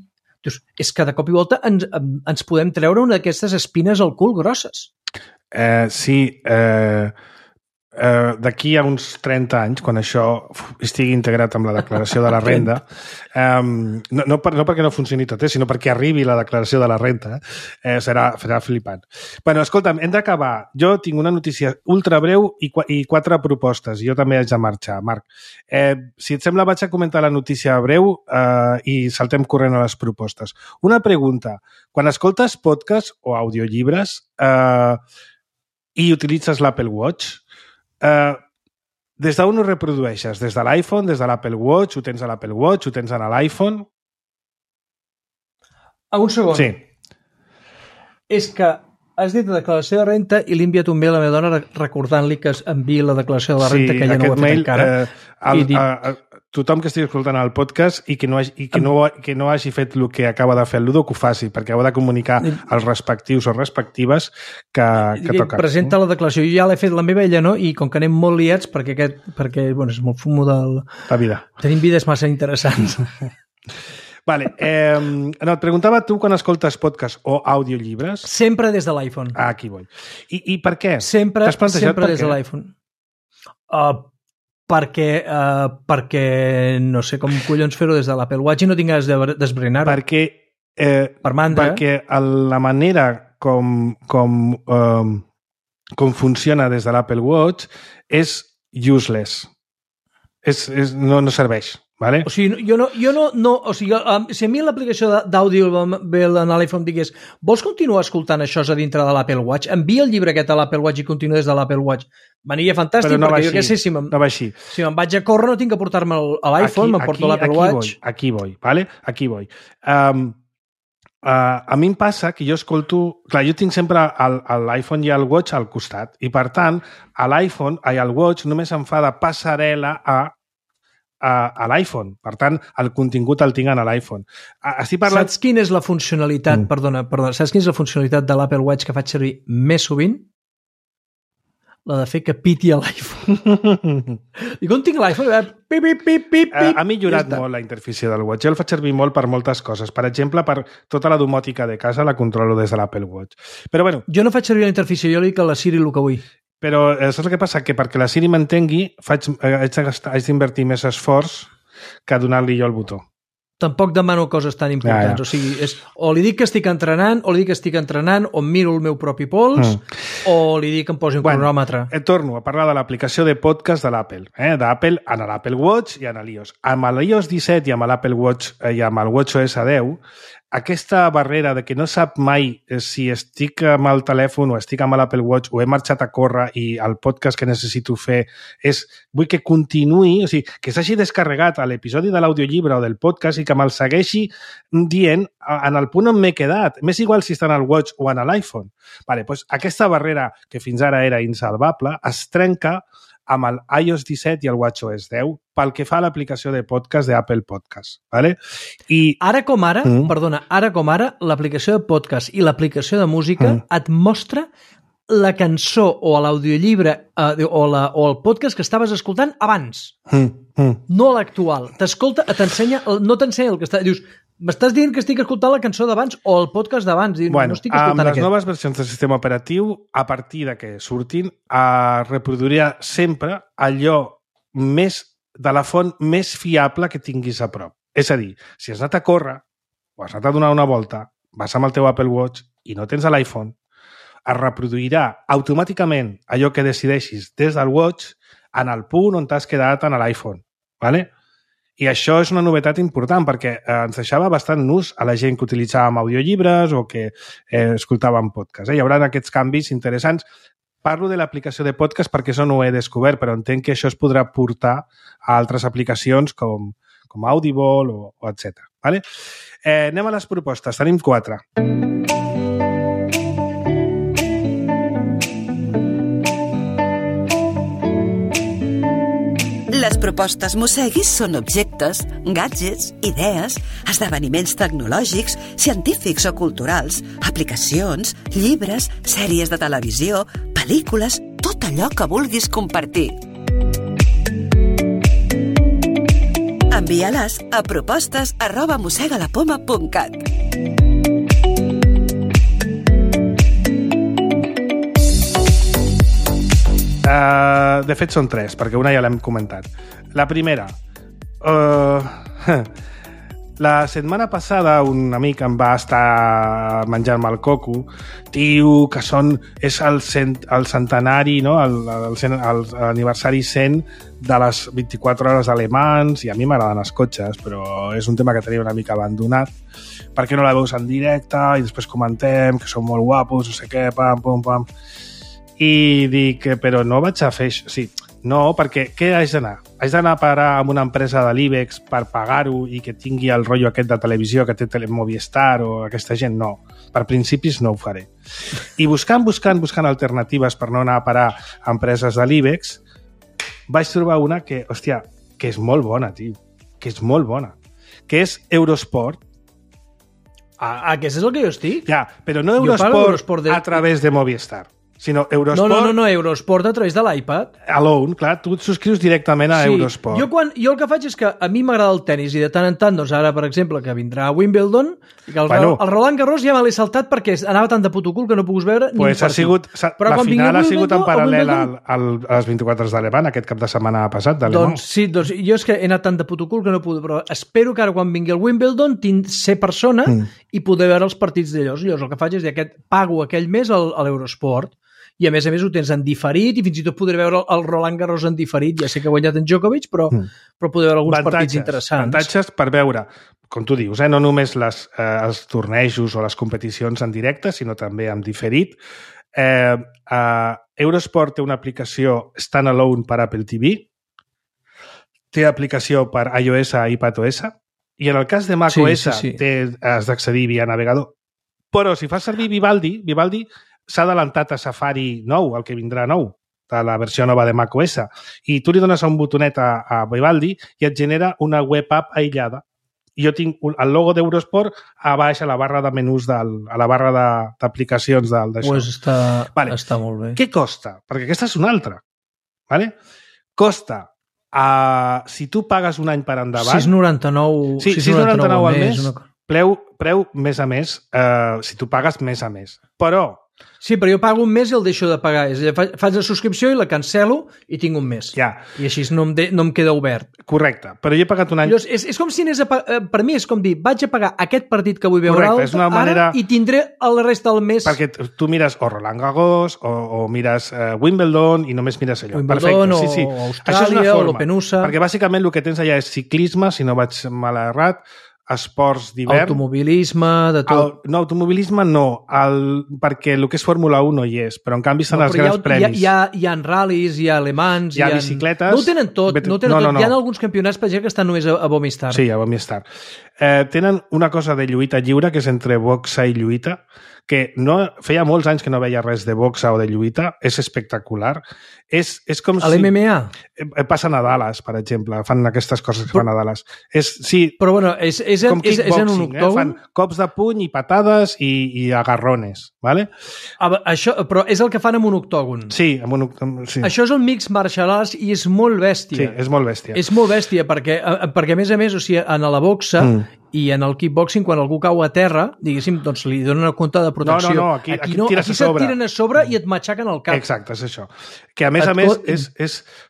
dius, és que de cop i volta ens podem treure una d'aquestes espines al cul grosses. Sí, d'aquí a uns 30 anys, quan això estigui integrat amb la declaració de la renda, no perquè no funcioni tot, sinó perquè arribi la declaració de la renda, serà flipant. Bueno, escolta'm, hem d'acabar. Jo tinc una notícia ultra breu i 4 propostes. Jo també haig de marxar, Marc. Si et sembla, vaig a comentar la notícia breu i saltem corrent a les propostes. Una pregunta. Quan escoltes podcast o audiollibres, i utilitzes l'Apple Watch, des d'on ho reprodueixes? Des de l'iPhone, des de l'Apple Watch, ho tens a l'Apple Watch, ho tens a l'iPhone? Un segon. Sí. És que has dit la declaració de renta i li he enviat un mail a la meva dona recordant-li que es enviï la declaració de la renta, que ella no ho ha fet encara. Tothom que estigui escoltant el podcast i que no hagi fet el que acaba de fer el Ludo, que ho faci, perquè heu de comunicar als respectius o respectives que toca. Presenta la declaració. Jo ja l'he fet la meva, ella no, i com que anem molt liats, perquè bueno, és molt fumo del... La vida. Tenim vides massa interessants. Vale. No, et preguntava tu quan escoltes podcast o audiollibres... Sempre des de l'iPhone. Aquí vull. I per què? Sempre des de l'iPhone. Perquè no sé com collons fer-ho des de l'Apple Watch i no tinc ganes d'esbrinar-ho. Perquè, per mandra. Perquè la manera com funciona des de l'Apple Watch és useless. No serveix. Vale? O sigui, o sigui, si a mi l'aplicació d'àudio ve a l'iPhone digués vols continuar escoltant això a dintre de l'Apple Watch? Envia el llibre aquest a l'Apple Watch i continua des de l'Apple Watch. M'aniria fantàstic, no perquè jo què sé, si me'n vaig a córrer no tinc que portar-me a l'iPhone, me'n porto l'Apple Watch. Aquí vull, vale? Aquí vull. A mi em passa que jo escolto... Clar, jo tinc sempre l'iPhone i el Watch al costat i, per tant, al Watch només em fa de passarel·la a l'iPhone. Per tant, el contingut el tinc a l'iPhone. Saps quina és la funcionalitat, perdona, saps quina és la funcionalitat de l'Apple Watch que faig servir més sovint? La de fer que piti a l'iPhone. I com tinc l'iPhone, pip. Ha millorat molt la interfície del Watch. Jo el faig servir molt per moltes coses. Per exemple, per tota la domòtica de casa la controlo des de l'Apple Watch. Però bueno... Jo no faig servir la interfície, jo li dic a la Siri el que vull. Però saps el que passa? Que perquè la Siri m'entengui haig d'invertir més esforç que donar-li jo el botó. Tampoc demano coses tan importants. Ja. O sigui, o li dic que estic entrenant, o li dic que estic entrenant, o miro el meu propi pols, o li dic que em posi un cronòmetre. Torno a parlar de l'aplicació de podcast de l'Apple. D'Apple en l'Apple Watch i en l'iOS. Amb l'iOS 17 i amb l'Apple Watch i amb el WatchOS 10, aquesta barrera de que no sap mai si estic amb el telèfon o estic amb l'Apple Watch o he marxat a córrer i el podcast que necessito fer vull que continuï, o sigui, que s'hagi descarregat a l'episodi de l'audiollibre o del podcast i que me'l segueixi dient en el punt on m'he quedat. M'és igual si està en el Watch o en l'iPhone. Vale, doncs aquesta barrera que fins ara era insalvable es trenca amb el iOS 17 i el WatchOS 10 pel que fa a l'aplicació de podcast d'Apple Podcast. Vale? I... Ara com ara, l'aplicació de podcast i l'aplicació de música et mostra la cançó o l'audiollibre o el podcast que estaves escoltant abans. No l'actual. T'ensenya, no t'ensenya el que està... Dius, m'estàs dient que estic escoltant la cançó d'abans o el podcast d'abans? Bueno, no estic escoltant amb les noves versions del sistema operatiu, a partir de que surtin, reproduirà sempre allò més de la font més fiable que tinguis a prop. És a dir, si has anat a córrer o has anat a donar una volta, vas amb el teu Apple Watch i no tens l'iPhone, es reproduirà automàticament allò que decideixis des del Watch en el punt on t'has quedat en l'iPhone. ¿Vale? I això és una novetat important perquè ens deixava bastant nus a la gent que utilitzàvem audiollibres o que escoltàvem podcast. Hi haurà aquests canvis interessants. Parlo de l'aplicació de podcast perquè això no ho he descobert, però entenc que això es podrà portar a altres aplicacions com Audible o etc. ¿Vale? Anem a les propostes. Tenim 4. Les propostes Mosseguis són objectes, gadgets, idees, esdeveniments tecnològics, científics o culturals, aplicacions, llibres, sèries de televisió, pel·lícules, tot allò que vulguis compartir. Envia-les a propostes@mossegalapoma.cat. De fet, són 3, perquè una ja l'hem comentat. La primera. La setmana passada un amic em va estar menjant-me el coco. Tio, que és el centenari, no? L'aniversari 100 de les 24 hores alemans, i a mi m'agraden els cotxes, però és un tema que tenia una mica abandonat. Per què no la veus en directe? I després comentem que són molt guapos, no sé què, pam, pam, pam. I dic, però no vaig a fer això. Sí, no, perquè què haig d'anar? Haig d'anar a parar amb una empresa de l'IBEX per pagar-ho i que tingui el rotllo aquest de televisió que té Movistar o aquesta gent? No. Per principis no ho faré. I buscant alternatives per no anar a parar a empreses de l'IBEX, vaig trobar una que, hòstia, que és molt bona, tio. Que és molt bona. Que és Eurosport. Aquest és el que jo estic? Ja, però no Eurosport a través de Movistar, sinó Eurosport... No, Eurosport a través de l'iPad. Alone, clar, tu et subscrius directament a Eurosport. Jo el que faig és que a mi m'agrada el tennis i de tant en tant, doncs ara, per exemple, que vindrà a Wimbledon, i que el Roland Garros ja me l'he saltat perquè anava tan de puto cul que no puc veure ni un partit. La final ha sigut en paral·lel a les 24 de Le Mans aquest cap de setmana passat, de Le Mans. Sí, doncs jo és que he anat tan de puto cul que no puc, però espero que ara quan vingui el Wimbledon ser persona i poder veure els partits d'ells. Llavors el que faig és pago aquell mes a l'Eurosport i a més ho tens en diferit i fins i tot podré veure el Roland Garros en diferit. Ja sé que ha guanyat en Djokovic, però poder veure alguns partits interessants. Avantatges per veure, com tu dius, no només els tornejos o les competicions en directe, sinó també en diferit. Eurosport té una aplicació standalone per Apple TV, té aplicació per iOS i iPadOS, i en el cas de macOS has d'accedir via navegador. Però si fas servir Vivaldi s'ha adelantat a Safari nou, el que vindrà nou, de la versió nova de macOS, i tu li dones un botonet a Vivaldi i et genera una web app aïllada. I jo tinc el logo d'Eurosport a baix a la barra de menús, a la barra d'aplicacions d'això. Pues està molt bé. Què costa? Perquè aquesta és una altra. Vale? Costa, si tu pagues un any per endavant... 6,99 al mes, preu mes a mes, si tu pagues mes a mes. Però... Sí, però jo pago un mes i el deixo de pagar. Faig la subscripció i la cancelo i tinc un mes. Ja. I així no em queda obert. Correcte, però jo he pagat un any... Llavors, és com si anés per mi és com dir, vaig a pagar aquest partit que vull veure ara i tindré el resta del mes... Perquè tu mires o Roland Garros o mires Wimbledon i només mires allò. Wimbledon o Austràlia o l'Open USA... Perquè bàsicament el que tens allà és ciclisme, si no vaig mal errat, esports d'hivern... Automobilisme, de tot... No, automobilisme no, perquè el que és Fórmula 1 no hi és, però en canvi són els grans premis. Hi ha ral·lis, hi ha alemans... Hi ha bicicletes... No ho tenen tot, Hi ha alguns campionats, per exemple, que estan només a Movistar. Sí, a Movistar. Tenen una cosa de lluita lliure, que és entre boxa i lluita, que feia molts anys que no veia res de boxa o de lluita, és espectacular. És com si... A l'MMA? Passen a Dallas, per exemple, fan aquestes coses que fan a Dallas. Sí, però bueno, és en un octògon? Fan cops de puny i patades i agarrones, ¿vale? Però és el que fan amb un octògon. Sí, amb un octògon, sí. Això és el Mixed Martial Arts i és molt bèstia. Sí, és molt bèstia. És molt bèstia perquè a més a més, o sigui, en la boxa i en el kickboxing, quan algú cau a terra, diguéssim, doncs li donen una compte de protecció. No, aquí se't tiren a sobre i et matxaquen el cap. Exacte, és això. Que a més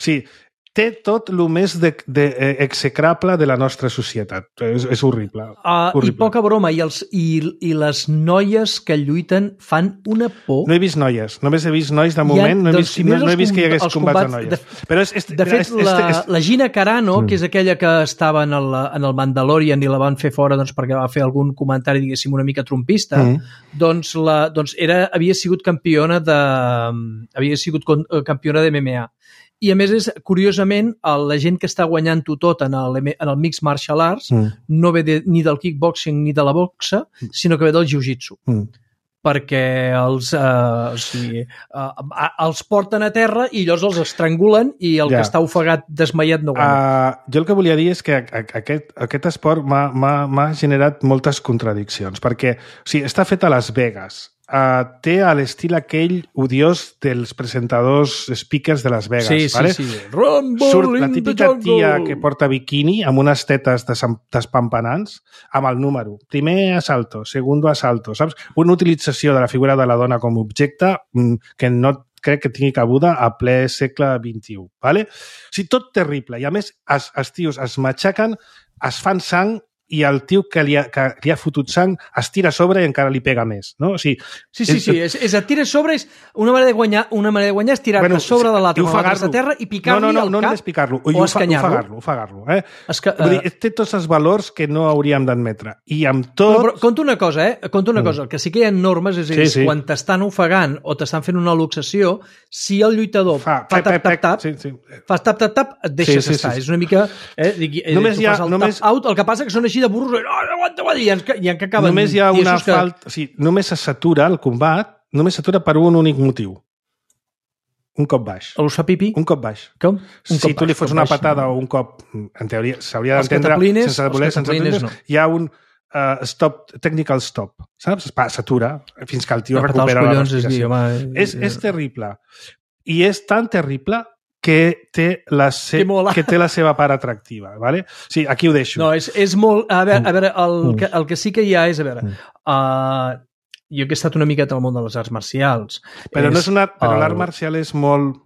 sí, té tot el més execrable de la nostra societat. És horrible. I poca broma. I les noies que lluiten fan una por. No he vist noies. Només he vist nois de moment. No he vist que hi hagués combats de noies. De fet, la Gina Carano, que és aquella que estava en el Mandalorian i la van fer fora perquè va fer algun comentari, diguéssim, una mica trompista, doncs havia sigut campiona de MMA. I a més, curiosament, la gent que està guanyant-ho tot en el Mixed Martial Arts no ve ni del kickboxing ni de la boxa, sinó que ve del jiu-jitsu. Perquè els porten a terra i llavors els estrangulen i el que està ofegat, desmaiat, no guanya. Jo el que volia dir és que aquest esport m'ha generat moltes contradiccions, perquè està fet a Las Vegas, té a l'estil aquell odiós dels presentadors speakers de Las Vegas. Sí. Rumble surt la típica tia que porta biquini amb unes tetes despampanants amb el número. Primer asalto, segundo asalto, saps? Una utilització de la figura de la dona com a objecte que no crec que tingui cabuda a ple segle XXI. Vale? O sigui, tot terrible. I a més, els tios es matxaquen, es fan sang i el tio que li ha fotut sang es tira a sobre i encara li pega més, no? O sigui, Sí, és et tires sobre, és una manera de guanyar és tirar-te a sobre de l'altre, a terra i picar-li al cap. No només picar-lo, o escanyar-lo. Ofegar-lo. Vull dir, té tots els valors que no hauríem d'admetre. I amb tot... Però conta una cosa, el que sí que hi ha normes és quan t'estan ofegant o t'estan fent una luxació, si el lluitador fa tap-tap-tap, fas tap-tap-tap, et deixes estar. És una mica... Només hi ha... Out, el que passa que són així de burros, aguanta, i en què acaben... Només hi ha una falta... O sigui, només se satura el combat, només s'atura per un únic motiu. Un cop baix. Els fa pipí? Un cop baix. Com? Si tu li fots una patada o un cop, en teoria, s'hauria d'entendre sense voler, hi ha un technical stop, saps? S'atura fins que el tio recupera la respiració. És terrible. I és tan terrible que té la seva part atractiva, ¿vale? Sí, aquí ho deixo. No, és molt... A veure, el que sí que hi ha és, a veure, jo que he estat una miqueta al món de les arts marcials... Però l'art marcial és molt...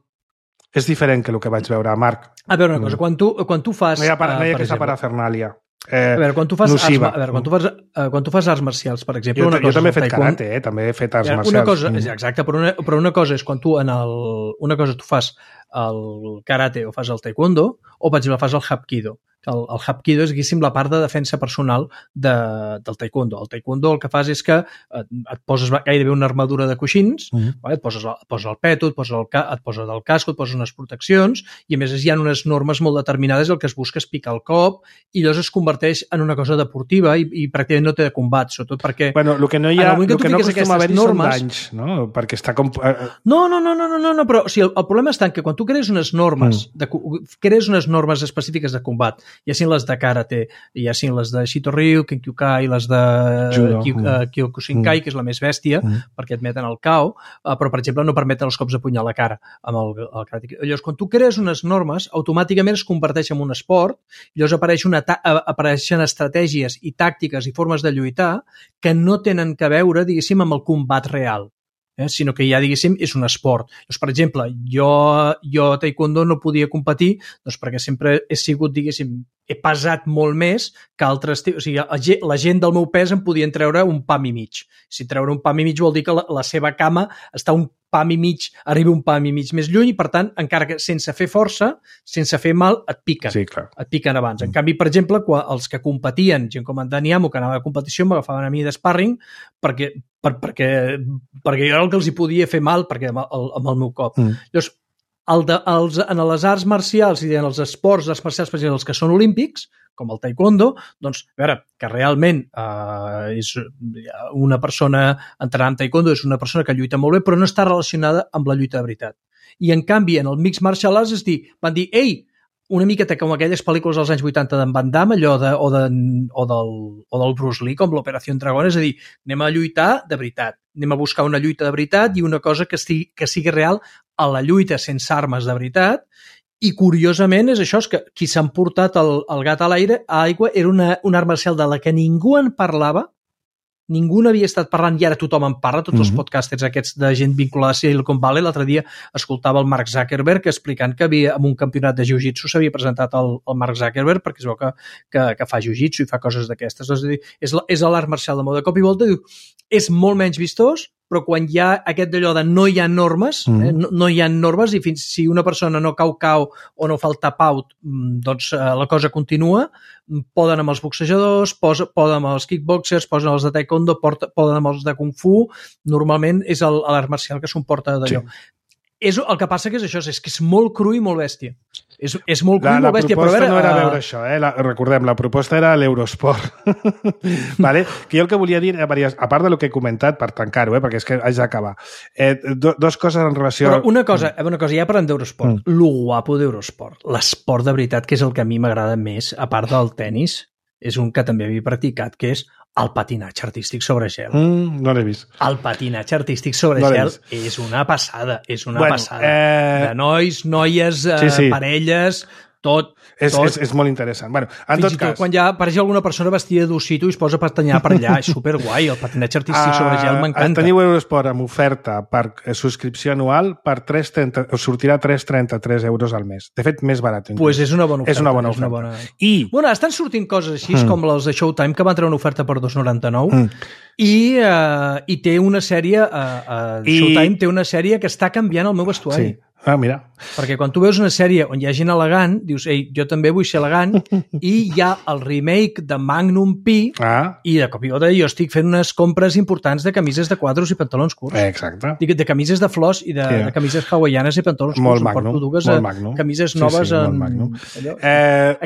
És diferent que el que vaig veure, Marc. A veure una cosa, quan tu fas... No hi ha aquesta parafernàlia. A veure, quan tu fas arts marcials, per exemple... Jo també he fet karate, també he fet arts marcials. Exacte, però una cosa és quan tu una cosa tu fas el karate o fas el taekwondo o, per exemple, fas el hapkido. El hapkido és, diguéssim, la part de defensa personal del taekwondo. El taekwondo el que fas és que et poses gairebé una armadura de coixins, et poses el peto, et poses el casco, et poses unes proteccions, i a més hi ha unes normes molt determinades, el que es busca és picar el cop, i llavors es converteix en una cosa deportiva i pràcticament no té de combat, sobretot perquè... Bueno, el que no acostuma a haver-hi són danys, no? Perquè està com... No, però el problema està en que quan tu crees unes normes, específiques de combat, ja siguin les de karate, ja siguin les de Shitoryu, Kenkyukai, les de Kyokushinkai, que és la més bèstia, perquè et meten el KO, però, per exemple, no permeten els cops de puny a la cara amb el karate. Llavors, quan tu crees unes normes, automàticament es converteix en un esport, llavors apareixen estratègies i tàctiques i formes de lluitar que no tenen que veure, diguéssim, amb el combat real. Sinó que ja, diguéssim, és un esport. Doncs, per exemple, jo a taekwondo no podia competir perquè sempre he sigut, diguéssim, he pesat molt més que altres... O sigui, la gent del meu pes em podien treure un pam i mig. Si treure un pam i mig vol dir que la seva cama està arriba un pam i mig més lluny i, per tant, encara que sense fer força, sense fer mal, et piquen. Sí, clar. Et piquen abans. En canvi, per exemple, els que competien, gent com en Dani Amo, que anava a competició, m'agafaven a mi d'sparring perquè jo era el que els hi podia fer mal amb el meu cop. Llavors, en les arts marcials i en els esports marcials, per exemple, els que són olímpics, com el taekwondo, doncs, a veure, que realment és una persona entrenant en taekwondo, és una persona que lluita molt bé, però no està relacionada amb la lluita de veritat. I, en canvi, en el mixed martial arts van dir, ei, una miqueta com aquelles pel·lícules dels anys 80 d'en Van Damme, o del Bruce Lee, com l'Operació Dragón, és a dir, anem a lluitar de veritat, anem a buscar una lluita de veritat i una cosa que sigui real a la lluita sense armes de veritat. I, curiosament, és això, és que qui s'han portat el gat a l'aigua era una art marcial de la que ningú en parlava, ningú n'havia estat parlant i ara tothom en parla, tots els podcasters aquests de gent vinculada a Silicon Valley. L'altre dia escoltava el Mark Zuckerberg explicant que en un campionat de jiu-jitsu s'havia presentat el Mark Zuckerberg perquè es veu que fa jiu-jitsu i fa coses d'aquestes. És l'art marcial de moda. De cop i volta diu, és molt menys vistós, però quan hi ha aquest d'allò de no hi ha normes, no hi ha normes i fins si una persona no cau o no fa el tap-out, doncs la cosa continua, poden amb els boxejadors, poden amb els kickboxers, poden amb els de taekwondo, poden amb els de kung fu, normalment és l'art marcial que s'emporta d'allò. Sí. El que passa que és això, és que és molt cru i molt bèstia. És molt cru i molt bèstia. La proposta no era veure això, recordem, la proposta era l'Eurosport. Vale? Que jo el que volia dir, a part del que he comentat, per tancar-ho, perquè és que haig d'acabar, dos coses en relació... Però una cosa, ja parlem d'Eurosport. Lo guapo d'Eurosport, l'esport de veritat, que és el que a mi m'agrada més, a part del tennis, és un que també havia practicat, que és el patinatge artístic sobre gel. No l'he vist. El patinatge artístic sobre gel és una passada, passada. De nois, noies, parelles, Tot. És molt interessant. Bueno, en Fins tot i tot cas... quan ja apareix alguna persona vestida d'ossito i es posa a patanyar per allà. És superguai, el patinatge artístic sobre gel m'encanta. Teniu Eurosport amb oferta per subscripció anual per 3,30, us sortirà 3,33 euros al mes. De fet, més barat. Pues és una bona oferta. És una bona oferta. I... Bueno, estan sortint coses així, com les de Showtime, que van treure una oferta per 2,99 i té una sèrie... Showtime té una sèrie que està canviant el meu vestuari. Sí. Ah, mira. Perquè quan tu veus una sèrie on hi ha gent elegant, dius, ei, jo també vull ser elegant, i hi ha el remake de Magnum P, i de cop i volta jo estic fent unes compres importants de camises de quadros i pantalons curts. Exacte. De camises de flors i de camises hawaianes i pantalons curts. Molt Magnum. Porto dues camises noves molt Magnum.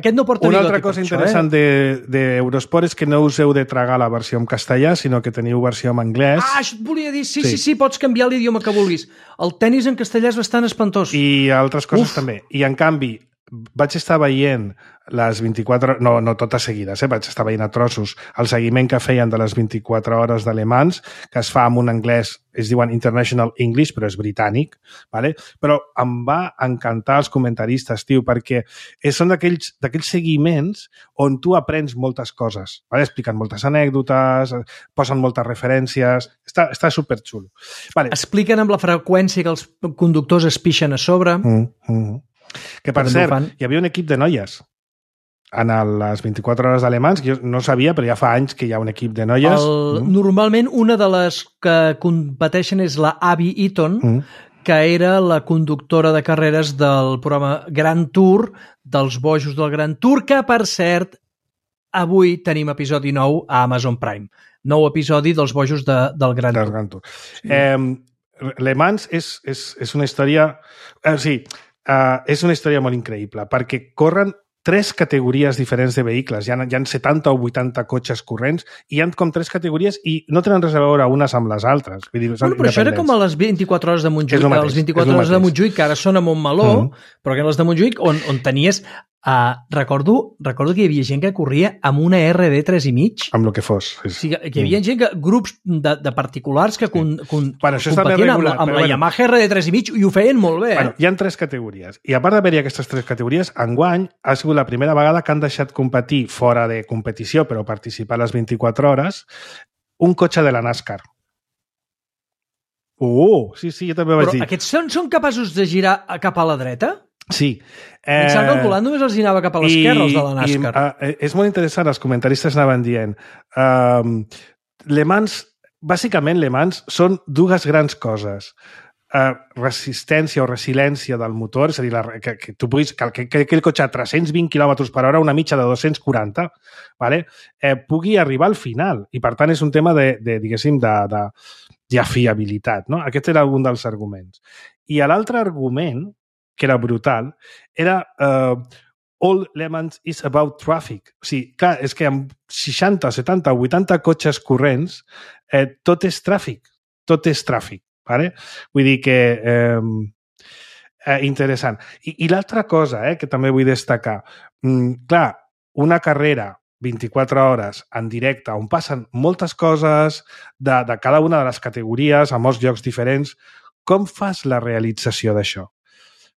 Aquest no porta una altra cosa interessant d'Eurosport és que no us heu de tragar la versió en castellà, sinó que teniu versió en anglès. Ah, això et volia dir, sí, pots canviar l'idioma que vulguis. El tenis en castellà és bastant espantós. I altres coses també. I en canvi, vaig estar veient les 24 hores, no totes seguides, vaig estar veient a trossos el seguiment que feien de les 24 hores d'Alemans, que es fa amb un anglès, es diuen International English, però és britànic, ¿vale? Però em va encantar els comentaristes, tio, perquè són d'aquells seguiments on tu aprens moltes coses, ¿vale? Expliquen moltes anècdotes, posen moltes referències, està superxulo. Vale. Expliquen amb la freqüència que els conductors es pixen a sobre. Que, per cert, hi havia un equip de noies en les 24 hores d'Alemans, que jo no sabia, però ja fa anys que hi ha un equip de noies. Normalment, una de les que competeixen és la Abby Eaton, que era la conductora de carreres del programa Grand Tour, dels bojos del Grand Tour, que, per cert, avui tenim episodi 9 a Amazon Prime. Nou episodi dels bojos del Grand Tour. Sí. Le Mans és una història... és una història molt increïble, perquè corren 3 categories diferents de vehicles. Hi ha 70 o 80 cotxes corrents i hi ha com 3 categories i no tenen res a veure unes amb les altres. Vull dir, però això era com a les 24 hores de Montjuïc. Les 24 hores de Montjuïc, que ara són a Montmeló, però que les de Montjuïc, on tenies... Recordo que hi havia gent que corria amb una RD 3,5. Amb el que fos. O sigui, que hi havia gent grups de particulars que competien amb la Yamaha RD 3,5 i ho feien molt bé. Bueno, hi ha 3 categories. I a part d'haver-hi aquestes 3 categories, enguany ha sigut la primera vegada que han deixat competir fora de competició, però participar a les 24 hores, un cotxe de la NASCAR. Sí, jo també vaig dir. Però aquests són capaços de girar cap a la dreta? Sí. Mitjà calculant només els anava cap a l'esquerra, els de la NASCAR. És molt interessant, els comentaristes anaven dient Le Mans, bàsicament Le Mans són 2 grans coses. Resistència o resiliència del motor, és a dir, que tu puguis, que aquell cotxe a 320 km per hora, una mitja de 240, ¿vale? Pugui arribar al final. I per tant és un tema diguéssim, de fiabilitat. No? Aquest era un dels arguments. I l'altre argument, que era brutal, era all Le Mans is about traffic. O sigui, clar, és que amb 60, 70, 80 cotxes corrents tot és tràfic. Tot és tràfic. Vale? Vull dir que interessant. I l'altra cosa que també vull destacar, clar, una carrera 24 hores en directe on passen moltes coses de cada una de les categories a molts llocs diferents, com fas la realització d'això?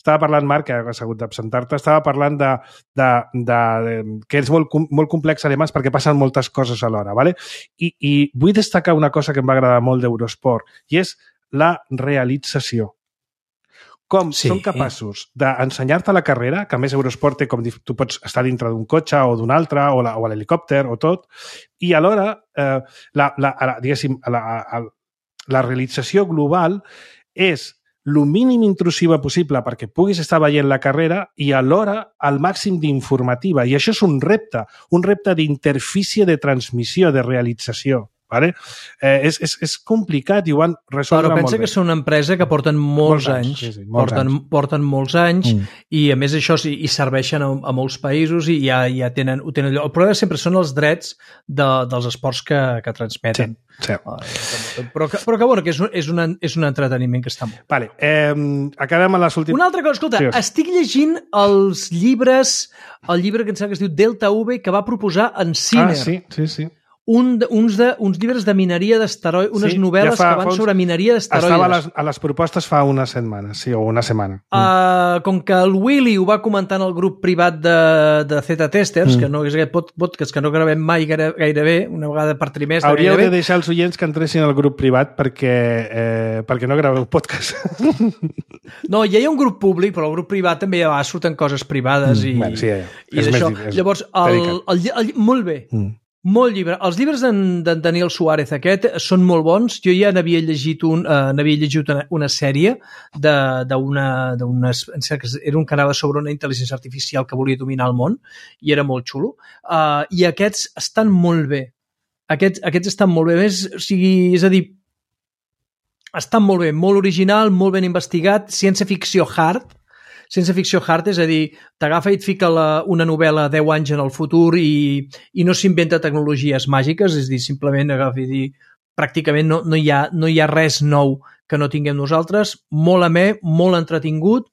Estava parlant, Marc, que has hagut d'absentar-te, estava parlant que és molt complex a Le Mans perquè passen moltes coses alhora. ¿Vale? I vull destacar una cosa que em va agradar molt d'Eurosport, i és la realització. Com són capaços d'ensenyar-te la carrera, que a més Eurosport té com tu pots estar dintre d'un cotxe o d'un altre, o a l'helicòpter o tot, i alhora la realització global és el mínim intrusiva possible perquè puguis estar veient la carrera i alhora el màxim d'informativa. I això és un repte d'interfície de transmissió, de realització. ¿Vale? És complicat i ho han resolt molt bé. Però pensa que són una empresa que porten molts anys. Porten molts anys i a més això i serveixen a molts països i ja tenen lloc. El problema sempre són els drets dels esports que transmeten. Sí. Però que bueno, que és un entreteniment que està molt. Vale. Acabem amb les últimes... Una altra cosa, escolta, estic llegint els llibres, el llibre que em sembla que es diu Delta V, que va proposar en Sinner. Sí. uns llibres de mineria d'asteroides, unes novel·les que van sobre mineria d'asteroides. Estava a les propostes fa una setmana, sí, o una setmana. Com que el Willy ho va comentar en el grup privat de Z-Testers, que no és aquest podcast que no gravem mai gairebé, una vegada per trimestre. Hauríeu de deixar els oients que entressin al grup privat perquè no graveu podcast. No, ja hi ha un grup públic, però el grup privat també ja surten coses privades i d'això. Llavors, molt bé. Molt llibre. Els llibres d'en Daniel Suárez aquest són molt bons. Jo ja n'havia llegit una sèrie era un que anava sobre una intel·ligència artificial que volia dominar el món i era molt xulo. I aquests estan molt bé. Aquests estan molt bé. És a dir, estan molt bé, molt original, molt ben investigat, ciència-ficció hard, és a dir, t'agafa i et fica una novel·la 10 anys en el futur i no s'inventa tecnologies màgiques, és a dir, simplement agafa i dir, pràcticament no hi ha res nou que no tinguem nosaltres, molt amè, molt entretingut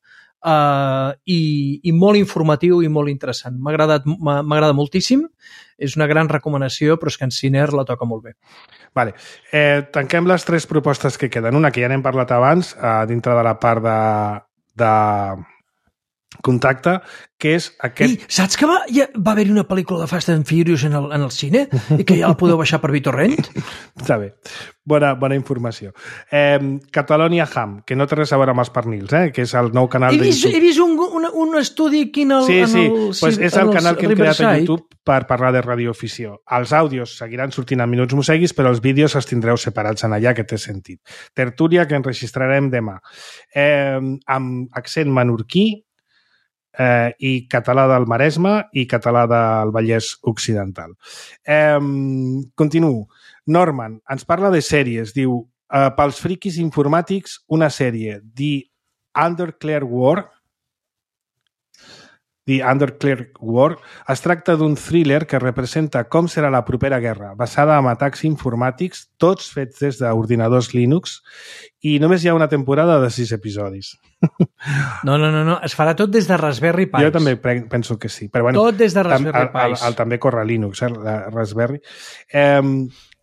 i molt informatiu i molt interessant. M'agrada moltíssim, és una gran recomanació, però és que en Ciner la toca molt bé. Vale. Tanquem les 3 propostes que queden. Una que ja n'hem parlat abans, dintre de la part de contacte, que és aquest... I saps que va haver-hi una pel·lícula de Fast and Furious en el cine i que ja la podeu baixar per BitTorrent? Està bé. Bona informació. Catalonia Ham, que no té res a veure amb els pernils, que és el nou canal de YouTube. He vist un estudi aquí pues és el canal que hem creat a YouTube per parlar de radioafició. Els àudios seguiran sortint a Minuts Moseguis, però els vídeos els tindreu separats en allà, que té sentit. Tertúlia, que enregistrarem demà. Amb accent menorquí, i català del Maresme i català del Vallès Occidental. Continuo. Norman ens parla de sèries. Diu, pels friquis informàtics, una sèrie, The Underclear War, es tracta d'un thriller que representa com serà la propera guerra, basada en atacs informàtics, tots fets des d'ordinadors Linux, i només hi ha una temporada de 6 episodis. No, es farà tot des de Raspberry Pi. Jo també penso que sí. Però, bueno, tot des de Raspberry Pi. També corre Linux, la Raspberry.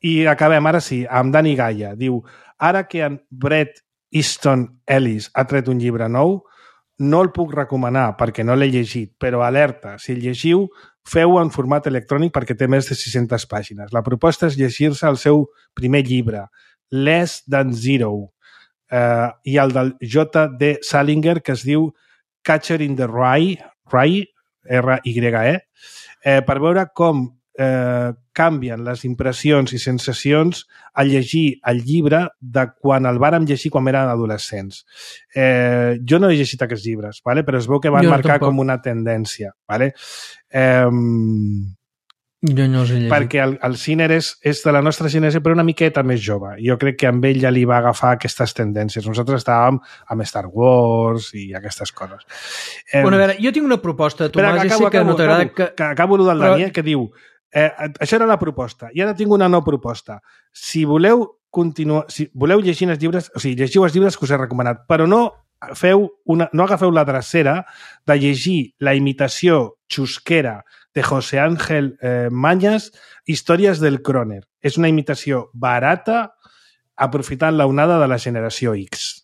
I acabem, ara sí, amb Dani Gaia. Diu, ara que en Bret Easton Ellis ha tret un llibre nou, no el puc recomanar perquè no l'he llegit, però alerta, si el llegiu, feu-ho en format electrònic perquè té més de 600 pàgines. La proposta és llegir-se el seu primer llibre, Less Than Zero, i el del J.D. Salinger, que es diu Catcher in the Rye, R-Y-E, per veure com canvien les impressions i sensacions al llegir el llibre de quan el vàrem llegir quan érem adolescents. Jo no he llegit aquests llibres, ¿vale? Però es veu que van marcar com una tendència. ¿Vale? Jo no els he llegit. Perquè el Ciner és de la nostra generació, però una miqueta més jove. Jo crec que amb ell ja li va agafar aquestes tendències. Nosaltres estàvem amb Star Wars i aquestes coses. Bueno, a veure, jo tinc una proposta, Tomàs, ja sé que no t'agrada... Acabo el del Daniel, que diu això era la proposta, i ara tinc una nova proposta. Si voleu continuar, si voleu llegir els llibres, o sigui, llegiu els llibres que us he recomanat, però no agafeu la drecera de llegir la imitació xusquera de José Ángel Mañas, Històries del Croner. És una imitació barata aprofitant la onada de la generació X.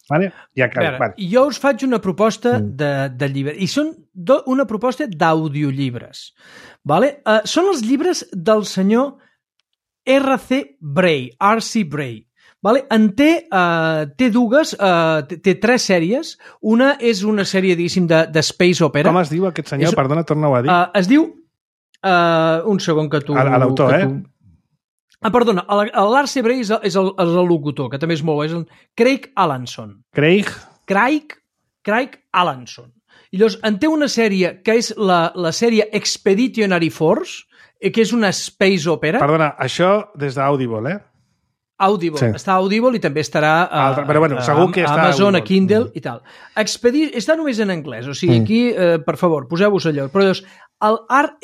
Vale? Ja acabo. Vale. Jo us faig una proposta de llibre, i són una proposta d'audiollibres. Vale? Són els llibres del senyor R.C. Bray. Vale? Té dues, té 3 sèries. Una és una sèrie, diguéssim, de space opera. Com es diu aquest senyor? Perdona, torna-ho a dir. Es diu... un segon que tu... L'autor, Perdona, l'R.C. Bray és el locutor, que també és molt bo, és el Craig Allanson. Craig Allanson. I llavors, en té una sèrie que és la sèrie Expeditionary Force, que és una space opera. Perdona, això des d'Audible, Audible, sí. Està a Audible i també estarà però bueno, segur que està Amazon, a Kindle i tal. Està només en anglès, o sigui, aquí, per favor, poseu-vos allò. Però llavors, el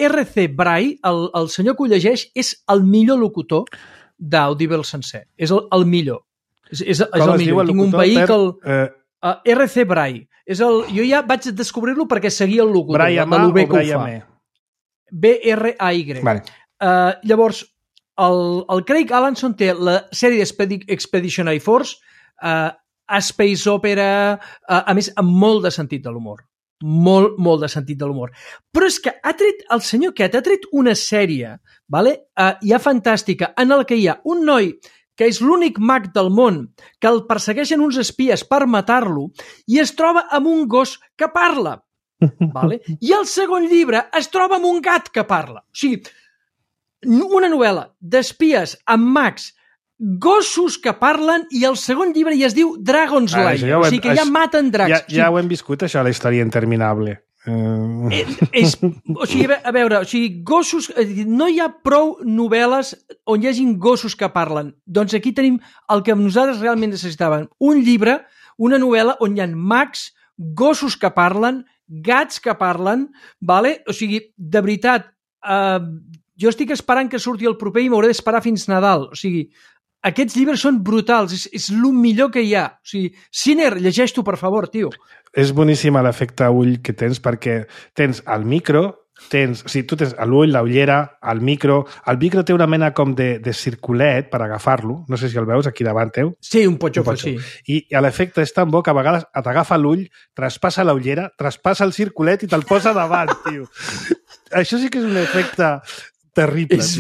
R.C. Bray, el senyor que ho llegeix, és el millor locutor d'Audible sencer. És el millor. És el millor. Tinc un vehicle... R.C. Bray. Jo ja vaig descobrir-lo perquè seguia el locutor. Brian A o Brian E? B-R-A-Y. Vale. Llavors, el Craig Allanson té la sèrie Expeditionary Force, Space Opera, a més, amb molt de sentit de l'humor. Molt de sentit de l'humor. Però és que el senyor aquest ha tret una sèrie, ja fantàstica, en la que hi ha un noi que és l'únic mag del món, que el persegueixen uns espies per matar-lo i es troba amb un gos que parla. I el segon llibre es troba amb un gat que parla. O sigui, una novel·la d'espies amb mags, gossos que parlen, i el segon llibre ja es diu Dragon's Lair, o sigui que ja maten dracs. Ja ho hem viscut, això, la història interminable. O sigui, a veure, gossos, no hi ha prou novel·les on hi hagin gossos que parlen. Doncs aquí tenim el que nosaltres realment necessitàvem. Un llibre, una novel·la on hi ha mags, gossos que parlen, gats que parlen, o sigui, de veritat, jo estic esperant que surti el proper i m'hauré d'esperar fins Nadal. O sigui, aquests llibres són brutals, és el millor que hi ha. O sigui, Sinner, llegeix-t'ho, per favor, tio. És boníssim l'efecte ull que tens, perquè tens el micro, tu tens l'ull, la ullera, el micro té una mena com de circulet per agafar-lo, no sé si el veus aquí davant teu. Sí, un potxofo, sí. I l'efecte és tan bo que a vegades t'agafa l'ull, traspassa la ullera, traspassa el circulet i te'l posa davant, tio. Això sí que és un efecte... terrible. És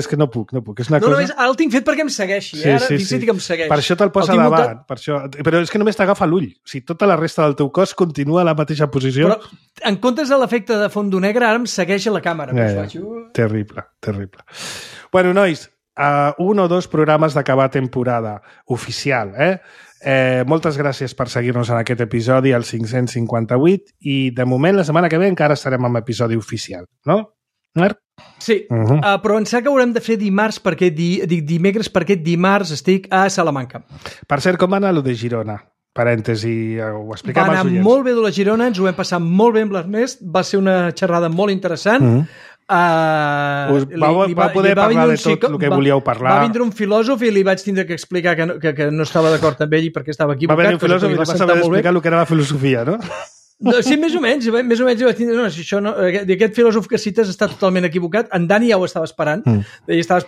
que no puc. És una cosa... Ara el tinc fet perquè em segueixi. Sí. Que em segueix. Per això te'l posa davant. Però és que només t'agafa l'ull. O sigui, tota la resta del teu cos continua a la mateixa posició. Però en comptes de l'efecte de fondo negre, ara em segueix a la càmera. Terrible. Bueno, nois, 1 o 2 programes d'acabar temporada oficial, moltes gràcies per seguir-nos en aquest episodi, el 558, i de moment la setmana que ve encara estarem amb episodi oficial, no? Marc? Sí, però em sembla que haurem de fer dimecres perquè dimarts estic a Salamanca. Per cert, com va anar allò de Girona? Parèntesi, ho expliquem als oients. Va anar molt bé de la Girona, ens ho vam passar molt bé amb l'Ernest, va ser una xerrada molt interessant. Va poder parlar de tot el que volíeu parlar. Va vindre un filòsof i li vaig tindre que explicar que no estava d'acord amb ell i perquè estava equivocat. Va venir un filòsof i li vas saber explicar el que era la filosofia, no? Sí, més o menys vaig tindre... No, si això no, aquest filòsof que cites està totalment equivocat. En Dani ja ho estava esperant. Ja estava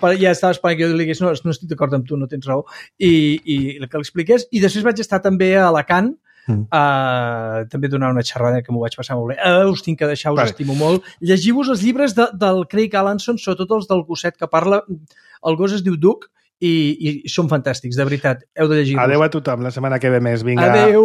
esperant que jo li digués no estic d'acord amb tu, no tens raó. I que l'expliqués. I després vaig estar també a Alacant, també donar una xerrada que m'ho vaig passar molt bé. Us tinc que deixar, us estimo molt. Llegiu-vos els llibres del Craig Allanson, sobretot els del gosset que parla. El gos es diu Duke i són fantàstics, de veritat. Heu de llegir-los. Adéu a tothom, la setmana que ve més. Vinga, adéu.